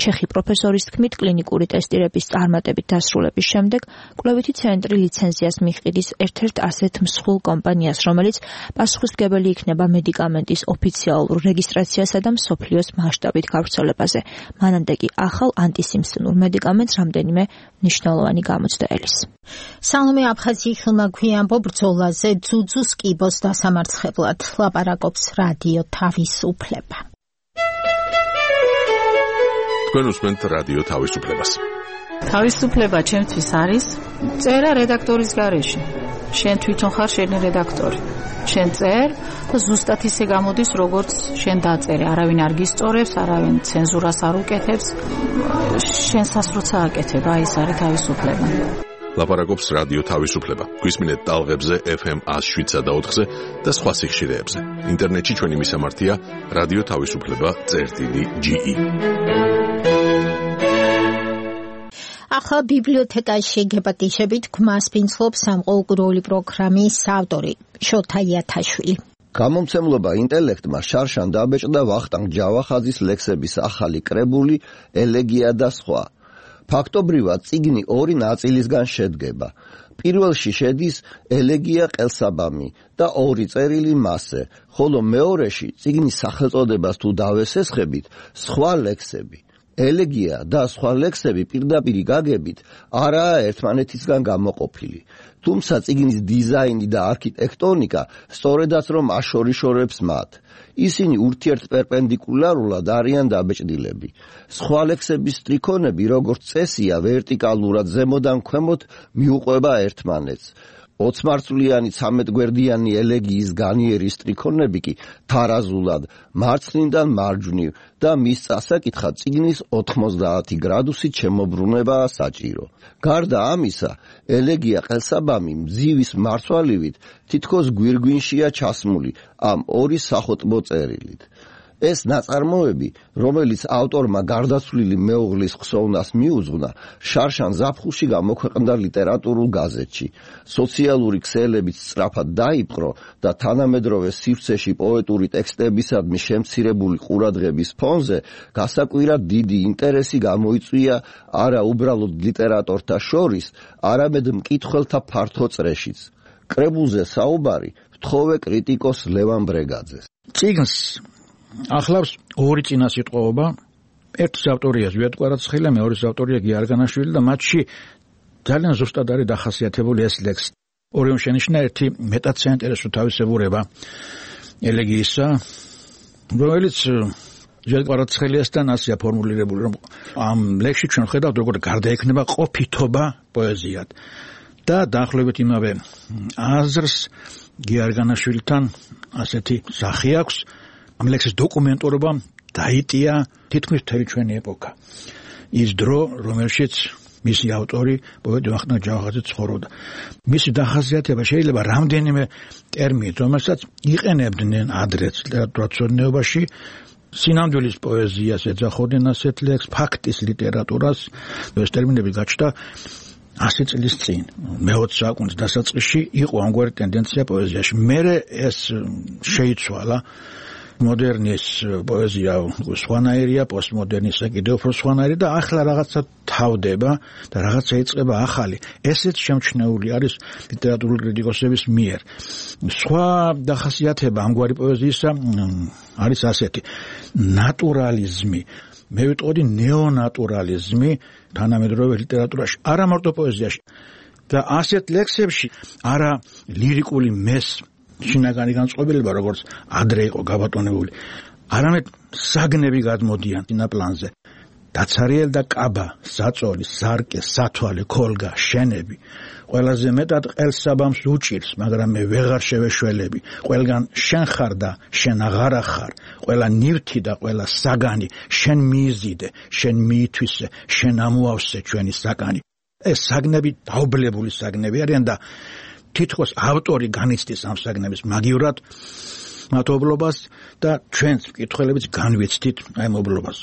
ჩეხი პროფესორის თქმით, კლინიკური ტესტირების წარმატებით დასრულების შემდეგ კვლევითი ცენტრი ლიცენზიას მიჰყიდის ერთ-ერთ ასეთ მსხვილ კომპანიას, რომელიც პასუხისმგებელი იქნება მედიკამენტის ოფიციალურ რეგისტრაციასა და მსოფლიოს მასშტაბით გავრცელებაზე. მანამდე კი ახალ ანტისიმფსონურ მედიკამენტს რამდენიმე მნიშვნელოვანი გამოჩნდა ელის. სალომე აფხაზიხილმა გვიანბო ბრძოლაზე ძუძუს კიბოს დასამარცხებლად ლაპარაკობს რადიო თავისუფლება. თქვენ უსმენთ რადიო თავისუფლებას. თავისუფლება ჩემთვის არის წერა რედაქტორის გარეშე. შენ თვითონ ხარ შენი რედაქტორი. შენ წერ და ზუსტად ისე გამოდის, როგორც შენ დაწერე. არავინ არ გისწორებს, არავინ ცენზურას არ უკეთებს. შენსაც როცა აკეთებ, აი ეს არის თავისუფლება. ლაპარაკობს რადიო თავისუფლება. გვისმინეთ ტალღებზე ეფ ემ one oh seven და ოთხზე და სხვა სიხშირეებზე. ინტერნეტში ჩვენი მისამართია რადიო თავისუფლება წერტილი ჯი ი. ახლა ბიბლიოთეკაში გეპატიშებით გმას ფინცლობს სამყუროური პროგრამის ავტორი შოთა იათაშვილი. გამომცემლობა ინტელექტმა შარშან დაბეჭდა ვახტანგ ჯავახაძის ლექსების ახალი კრებული ელეგია და სხვა. ფაქტობრივად წიგნი ორი ნაწილისგან შედგება. პირველში შედის ელეგია ყელსაბამი და ორი წერილი მასზე, ხოლო მეორეში წიგნის სახელწოდებას თუ დავესესხებით, სხვა ლექსები. ელეგია და სხვა ლექსები პირდაპირ გაგებით არაა ერთმანეთისგან გამოყოფილი. თუმცა წიგნის დიზაინი და არქიტექტონიკა სწორედაც რომ აშორიშორებს მათ. ისინი ურთიერთპერპენდიკულარულად არიან დაბეჭდილები. სხვა ლექსების სტრიქონები, როგორც წესია, ვერტიკალურად ზემოდან ქვემოთ მიუყვება ერთმანეთს. ოცმარცვლიანი ცამეტგვერდიანი ელეგიის განიერი სტრიქონები კი თარაზულად მარცხნიდან მარჯვნივ და მის წასაკითხად წიგნის ოთხმოცდაათი გრადუსით შემოbrunებაა საჭირო. გარდა ამისა, ელეგია ყელსაბამი მძივის მარცვალივით თითქოს გვირგვინშია ჩასმული ამ ორი სახოტბო წერილით. ეს ნაწარმოები, რომელიც ავტორმა გარდაცვლილი მეუღლის ხსოვნას მიუძღვნა, შარშან ზაფხულში გამოქვეყნდა ლიტერატურულ გაზეთში. სოციალური ქსელებით სწრაფად დაიპყრო და თანამედროვე სივრცეში პოეტური ტექსტებისადმი შემცირებული ყურადღების ფონზე გასაკვირად დიდი ინტერესი გამოიწვია არა უბრალოდ ლიტერატორთა შორის, არამედ მკითხველთა ფართო წრეშიც. კრებულზე საუბარი ვთხოვე კრიტიკოს ლევან ბრეგაძეს. წიგნს ახლავს ორი წინასიტყვაობა, ერთის ავტორია ზვიად კვარაცხელა, მეორის ავტორია გიარგანაშვილი და მათში ძალიან ზუსტად არის დახასიათებული ეს ლექსი. ორივემ შენიშნა ერთი მეტად საინტერესო თავისებურება ელეგიისა, რომელიც ჯერ კვარაცხელიასთან ასია ფორმულირებული, რომ ამ ლექსში ჩვენ ხედავთ, როგორ გარდაექნება ყოფითობა პოეზიად. და დაახლოებით იმავე აზრს გიარგანაშვილთან ასეთი სახე აქვს. ამ ლექსის დოკუმენტურობამ დაიტია თითქმის მთელი ჩვენი ეპოქა. ის დრო, რომელშიც მისი ავტორი პოეტი ვახტანგ ჯავახაძე ცხოვრობდა. მისი დახასიათება შეიძლება რამდენიმე ტერმინით, რომელსაც იყენებდნენ ადრეც ლიტერატურაცოდნეობაში, სინამდვილის პოეზიას ეძახოდნენ ასეთ ლექსს, ფაქტის ლიტერატურას, ეს ტერმინები გაჩნდა ასი წლის წინ, მეოცე საუკუნის დასაწყისში იყო ამგვარი ტენდენცია პოეზიაში. მერე ეს შეიცვალა. მოდერნის პოეზია სხვანაირია, პოსტმოდერნისა კიდევ უფრო სხვანაირი და ახლა რაღაცა თავდება და რაღაცა იწყება ახალი. ესეც შემჩნეული არის ლიტერატურული კრიტიკოსების მიერ. სხვა დახასიათება ამგვარი პოეზიისა არის ასეთი: ნატურალიზმი. მე ვიტყოდი ნეონატურალიზმი თანამედროვე ლიტერატურაში, არა მარტო პოეზიაში. და ასეთ ლექსებში არა ლირიკული მეს შინაგანი განწყობილება, როგორც ადრე იყო გაბატონებული, არამედ საგნები გადმოდიან წინაპლანზე. დაცარიელ და კაბა, საწოლი, სარკე, სათვალე, ქოლგა, შენები. ყველაზე მეტად ყელსაბამს უჭირს, მაგრამ მე ვეღარ შევეშველები. ყველგან შენ ხარ და შენ აღარა ხარ. ყველა ნივთი და ყველა საგანი შენ მიიზიდე, შენ მიითვისე, შენ ამოავსე ჩვენი საკანი. ეს საგნები დაუბლებული საგნები არიან და თითქოს ავტორი განიცდის ამ საგნების მაგივრად მათობლობას და ჩვენც მკითხველებიც განვიცდით აი მობლობას.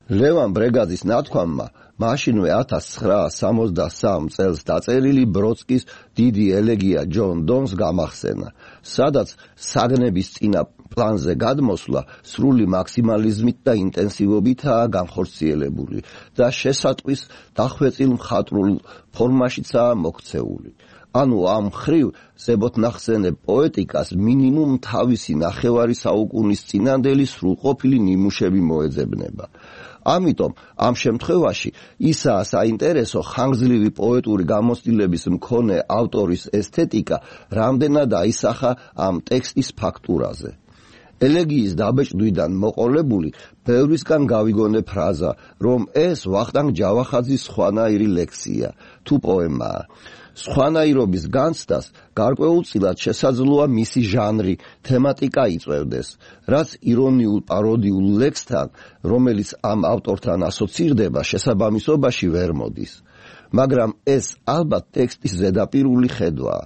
ლევან ბრეგაძის ნათქვამმა მაშინვე ათას ცხრაასი სამოცდასამ წელს დაწერილი ბროდსკის დიდი ელეგია ჯონ დონს გამახსენა, სადაც საგნების წინა პლანზე გადმოსვლა სრული მაქსიმალიზმით და ინტენსივობითაა განხორციელებული და შესატყვის დახვეწილ მხატვრულ ფორმაშიცაა მოქცეული. ანუ ამ ხრივ ზებოთნახსენებ პოეტიკას მინიმუმ თავისი ნახევარი საუკუნის წინანდელი სრულყოფილი ნიმუშები მოეძებნება. ამიტომ ამ შემთხვევაში ისაა საინტერესო ხანგრძლივი პოეტური გამოცდილების მქონე ავტორის ესთეტიკა, რამდენად აისახა ამ ტექსტის ფაქტურაზე. ელეგიის დაბეჭდვიდან მოყოლებული ბევრისგან გავიგონე ფრაზა, რომ ეს ვახტანგ ჯავახაძის სხვანაირი ლექსია, თუ პოემაა. სხვანაირობის განცდას გარკვეულწილად შესაძლოა მისი ჟანრი, თემატიკა იწვევდეს, რაც ირონიულ პაროდიულ ლექსთან, რომელიც ამ ავტორთან ასოცირდება, შესაბამისობაში ვერ მოდის. მაგრამ ეს ალბათ ტექსტის ზედაპირული ხედვაა.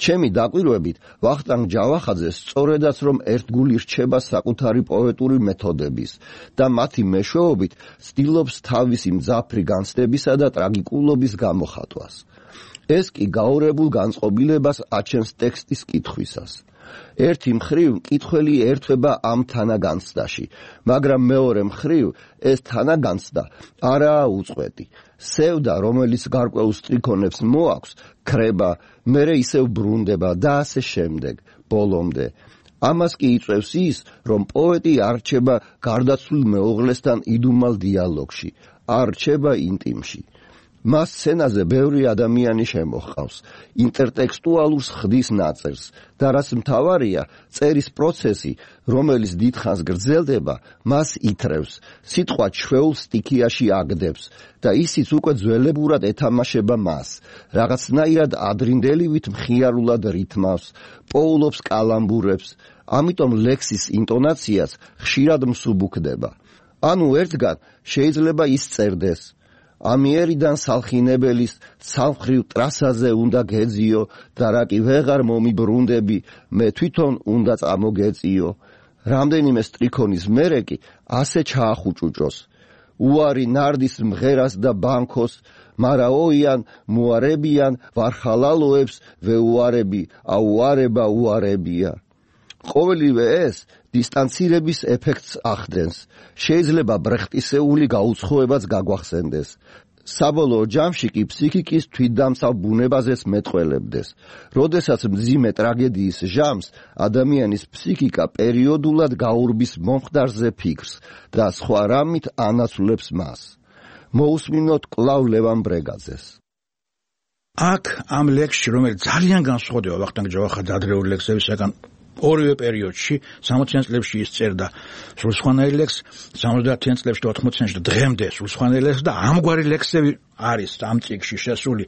ჩემი დაკვირვებით, ვახტანგ ჯავახაძე სწორედაც რომ ერთგული რჩება საკუთარი პოეტური მეთოდების და მათი მეშვეობით ცდილობს თავისი მძაფრი განცდებისა და ტრაგიკულობის გამოხატვას. ეს კი გაურებულ განწყობილებას აჩენს ტექსტის კითხვისას. ერთი მხრივ მკითხველი ერთვება ამ თანაგანცდაში, მაგრამ მეორე მხრივ ეს თანაგანცდა არაა უწყვეტი. სევდა, რომელიც გარკვეულ სტრიქონებს მოაქვს, ქრება, მერე ისევ ბრუნდება და ასე შემდეგ, ბოლომდე. ამას კი იწვევს ის, რომ პოეტი არ რჩება გარდაცვლილ მეუღლესთან იდუმალ დიალოგში, არ რჩება ინტიმში. მას სცენაზე ბევრი ადამიანი შემოჰყავს, ინტერტექსტუალურს ხდის ნაწერს და რაც მთავარია, წერის პროცესი, რომელიც დიდხანს გრძელდება, მას ითრევს, სიტყვა ჩვეულ სტიქიაში აგდებს და ისიც უკვე ძველებურად ეთამაშება მას, რაღაცნაირად ადრინდელივით მხიარულად რითმავს, პოულობს კალამბურებს, ამიტომ ლექსის ინტონაციაც ხშირად მსუბუქდება. ანუ ერთგან შეიძლება ის წერდეს: ამიერიდან სალხინებელის ცალმხრივ ტრასაზე უნდა გეძიო და რა კი ვეღარ მომიბრუნდები, მე თვითონ უნდა წამოგეწიო. რამდენიმე სტრიქონის მერე კი ასე ჩაახუჭუჭოს: უარი ნარდის მღერას და ბანქოს, მარა ოიან მოარებიან ვარხალალოებს ვეუარები, აუარება უარებია. ყოველივე ეს დისტანცირების ეფექტს ახდენს, შეიძლება ბრეხტისეული გაუცხოებაც გაგვახსენდეს. საბოლოო ჯამში კი ფსიქიკის თვითდამცავ ბუნებაზეც მეტყველებდეს. როდესაც მძიმე ტრაგედიის ჟამს ადამიანის ფსიქიკა პერიოდულად გაურბის მომხდარზე ფიქრს და სხვა რამით ანაცვლებს მას. მოусმინოთ კვლავ ლევან ბრეგაძეს. აქ ამ ლექსში, რომელიც ძალიან განსხვავდება ვახტანგ ჯავახაძის ადრეული ლექსებისგან, ორივე პერიოდში სამოციან წლებში ის წერდა სრულსხვანელი ლექს, სამოცდაათიან წლებში და ოთხმოციანში და დღემდე სრულსხვანელი ლექს და ამგვარი ლექსები არის ამ წიგნში შესული.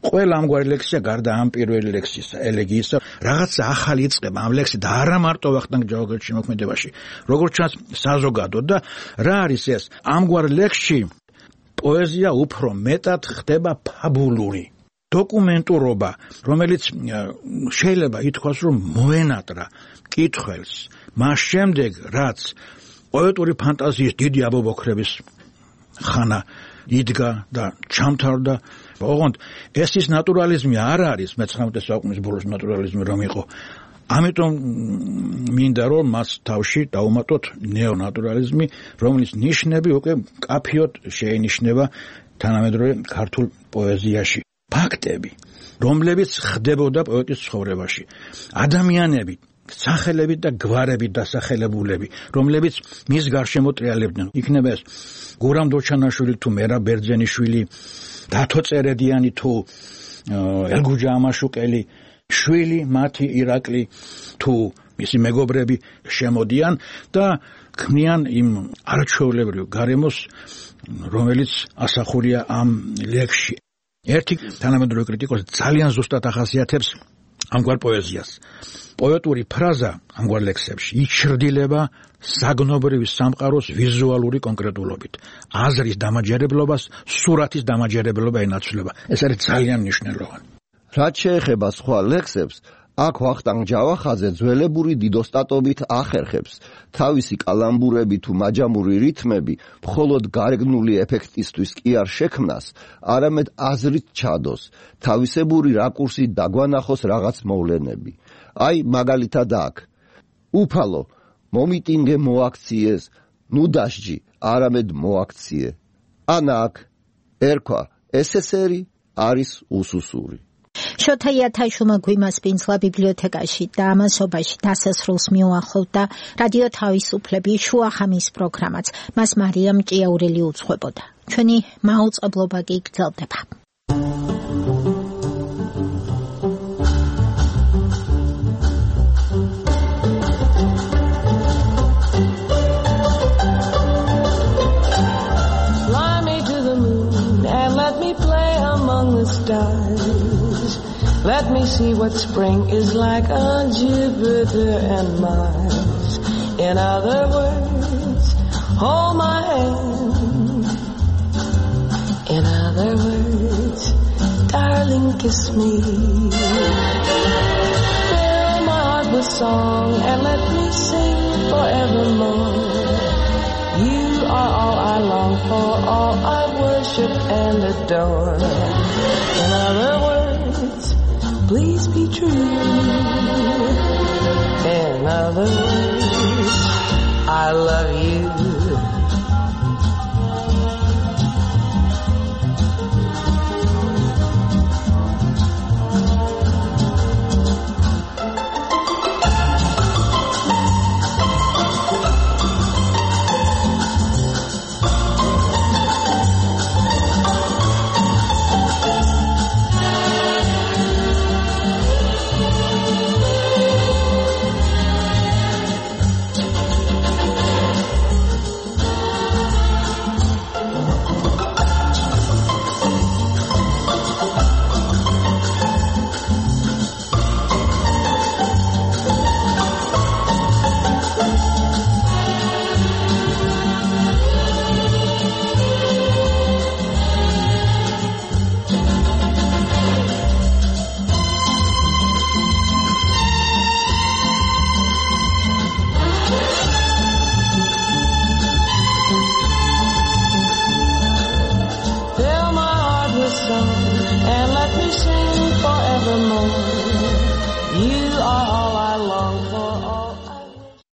ყველა ამგვარი ლექსია გარდა ამ პირველი ლექსისა, ელეგიისა, რაღაცა ახალი იწყება ამ ლექსი და არა მარტო ვახტანგ ჯავახეთის შემოქმედებაში, როგორც ჩანს საზოგადოდ და რა არის ეს? ამგვარ ლექსში პოეზია უფრო მეტად ხდება ფაბულური. დოკუმენტურობა, რომელიც შეიძლება ითქვას, რომ მოენატრა კითხვებს, მას შემდეგ, რაც პოეტური ფანტაზიის დიდი აბობოქრების ხანა იდგა და ჩამთავრდა, ოღონდ ეს ის ნატურალიზმი არ არის, მეცხრამეტე საუკუნის ბოლოს ნატურალიზმი რომ იყო. ამიტომ მინდა რომ მას თავში დავუმატოთ ნეონატურალიზმი, რომლის ნიშნები უკვე კაფიოდ შეინიშნება თანამედროვე ქართულ პოეზიაში. ფაქტები, რომლებიც ხდებოდა პოეტის ცხოვრებაში. ადამიანები, სახელებით და გვარებით დასახელებულები, რომლებიც მის გარშემო ტრიალებდნენ. იქნება ეს გურამ დოჩანაშვილი თუ მერაბ ბერძენიშვილი, დათო წერედიანი თუ ელგუჯა ამაშუკელი, შვილი მათი ირაკლი თუ მისი მეგობრები შემოდიან და ქმნიან იმ არაჩვეულებრივ გარემოს, რომელიც ასახულია ამ ლექსში. ერთი თანამედროვე კრიტიკოსი ძალიან ზუსტად ახასიათებს ამგვარ პოეზიას. პოეტური ფრაზა ამგვარ ლექსებში იჩრდილება საგნობრივი სამყაროს ვიზუალური კონკრეტულობით. აზრის დამაჯერებლობას სურათის დამაჯერებლობა ენაცვლება. ეს არის ძალიან მნიშვნელოვანი. რაც შეეხება სხვა ლექსებს, აქ ვახტანგ ჯავახაძე ძველებური დიდოსტატობით ახერხებს თავისი კალამბურები თუ მაჯამური რითმები მხოლოდ გარეგნული ეფექტისთვის კი არ შექმნას, არამედ აზრით ჩადოს, თავისებური რაკურსით დაგვანახოს რაღაც მოვლენები. აი მაგალითად აქ უფალო მომიტინგე მოაქციეს, ნუ დასჯი, არამედ მოაქციე. ან აქ ერქვა ესესერი არის უსუსური. შოთა იათაშვილმა გვიმასპინძლა ბიბლიოთეკაში და ამასობაში დასასრულს მიუახლოვდა რადიო თავისუფლების შუა ხამის პროგრამაც. მას მარიამ ჭიაურელი უძღვებოდა. ჩვენი მაუწყებლობა კი გრძელდება. Fly me to the moon and let me play among the stars. Let me see what spring is like on Jupiter and Mars. In other words, hold my hand. In other words, darling, kiss me. Fill my heart with song and let me sing forevermore. You are all I long for, all I worship and adore. In other words, please be true. In other words, I love you.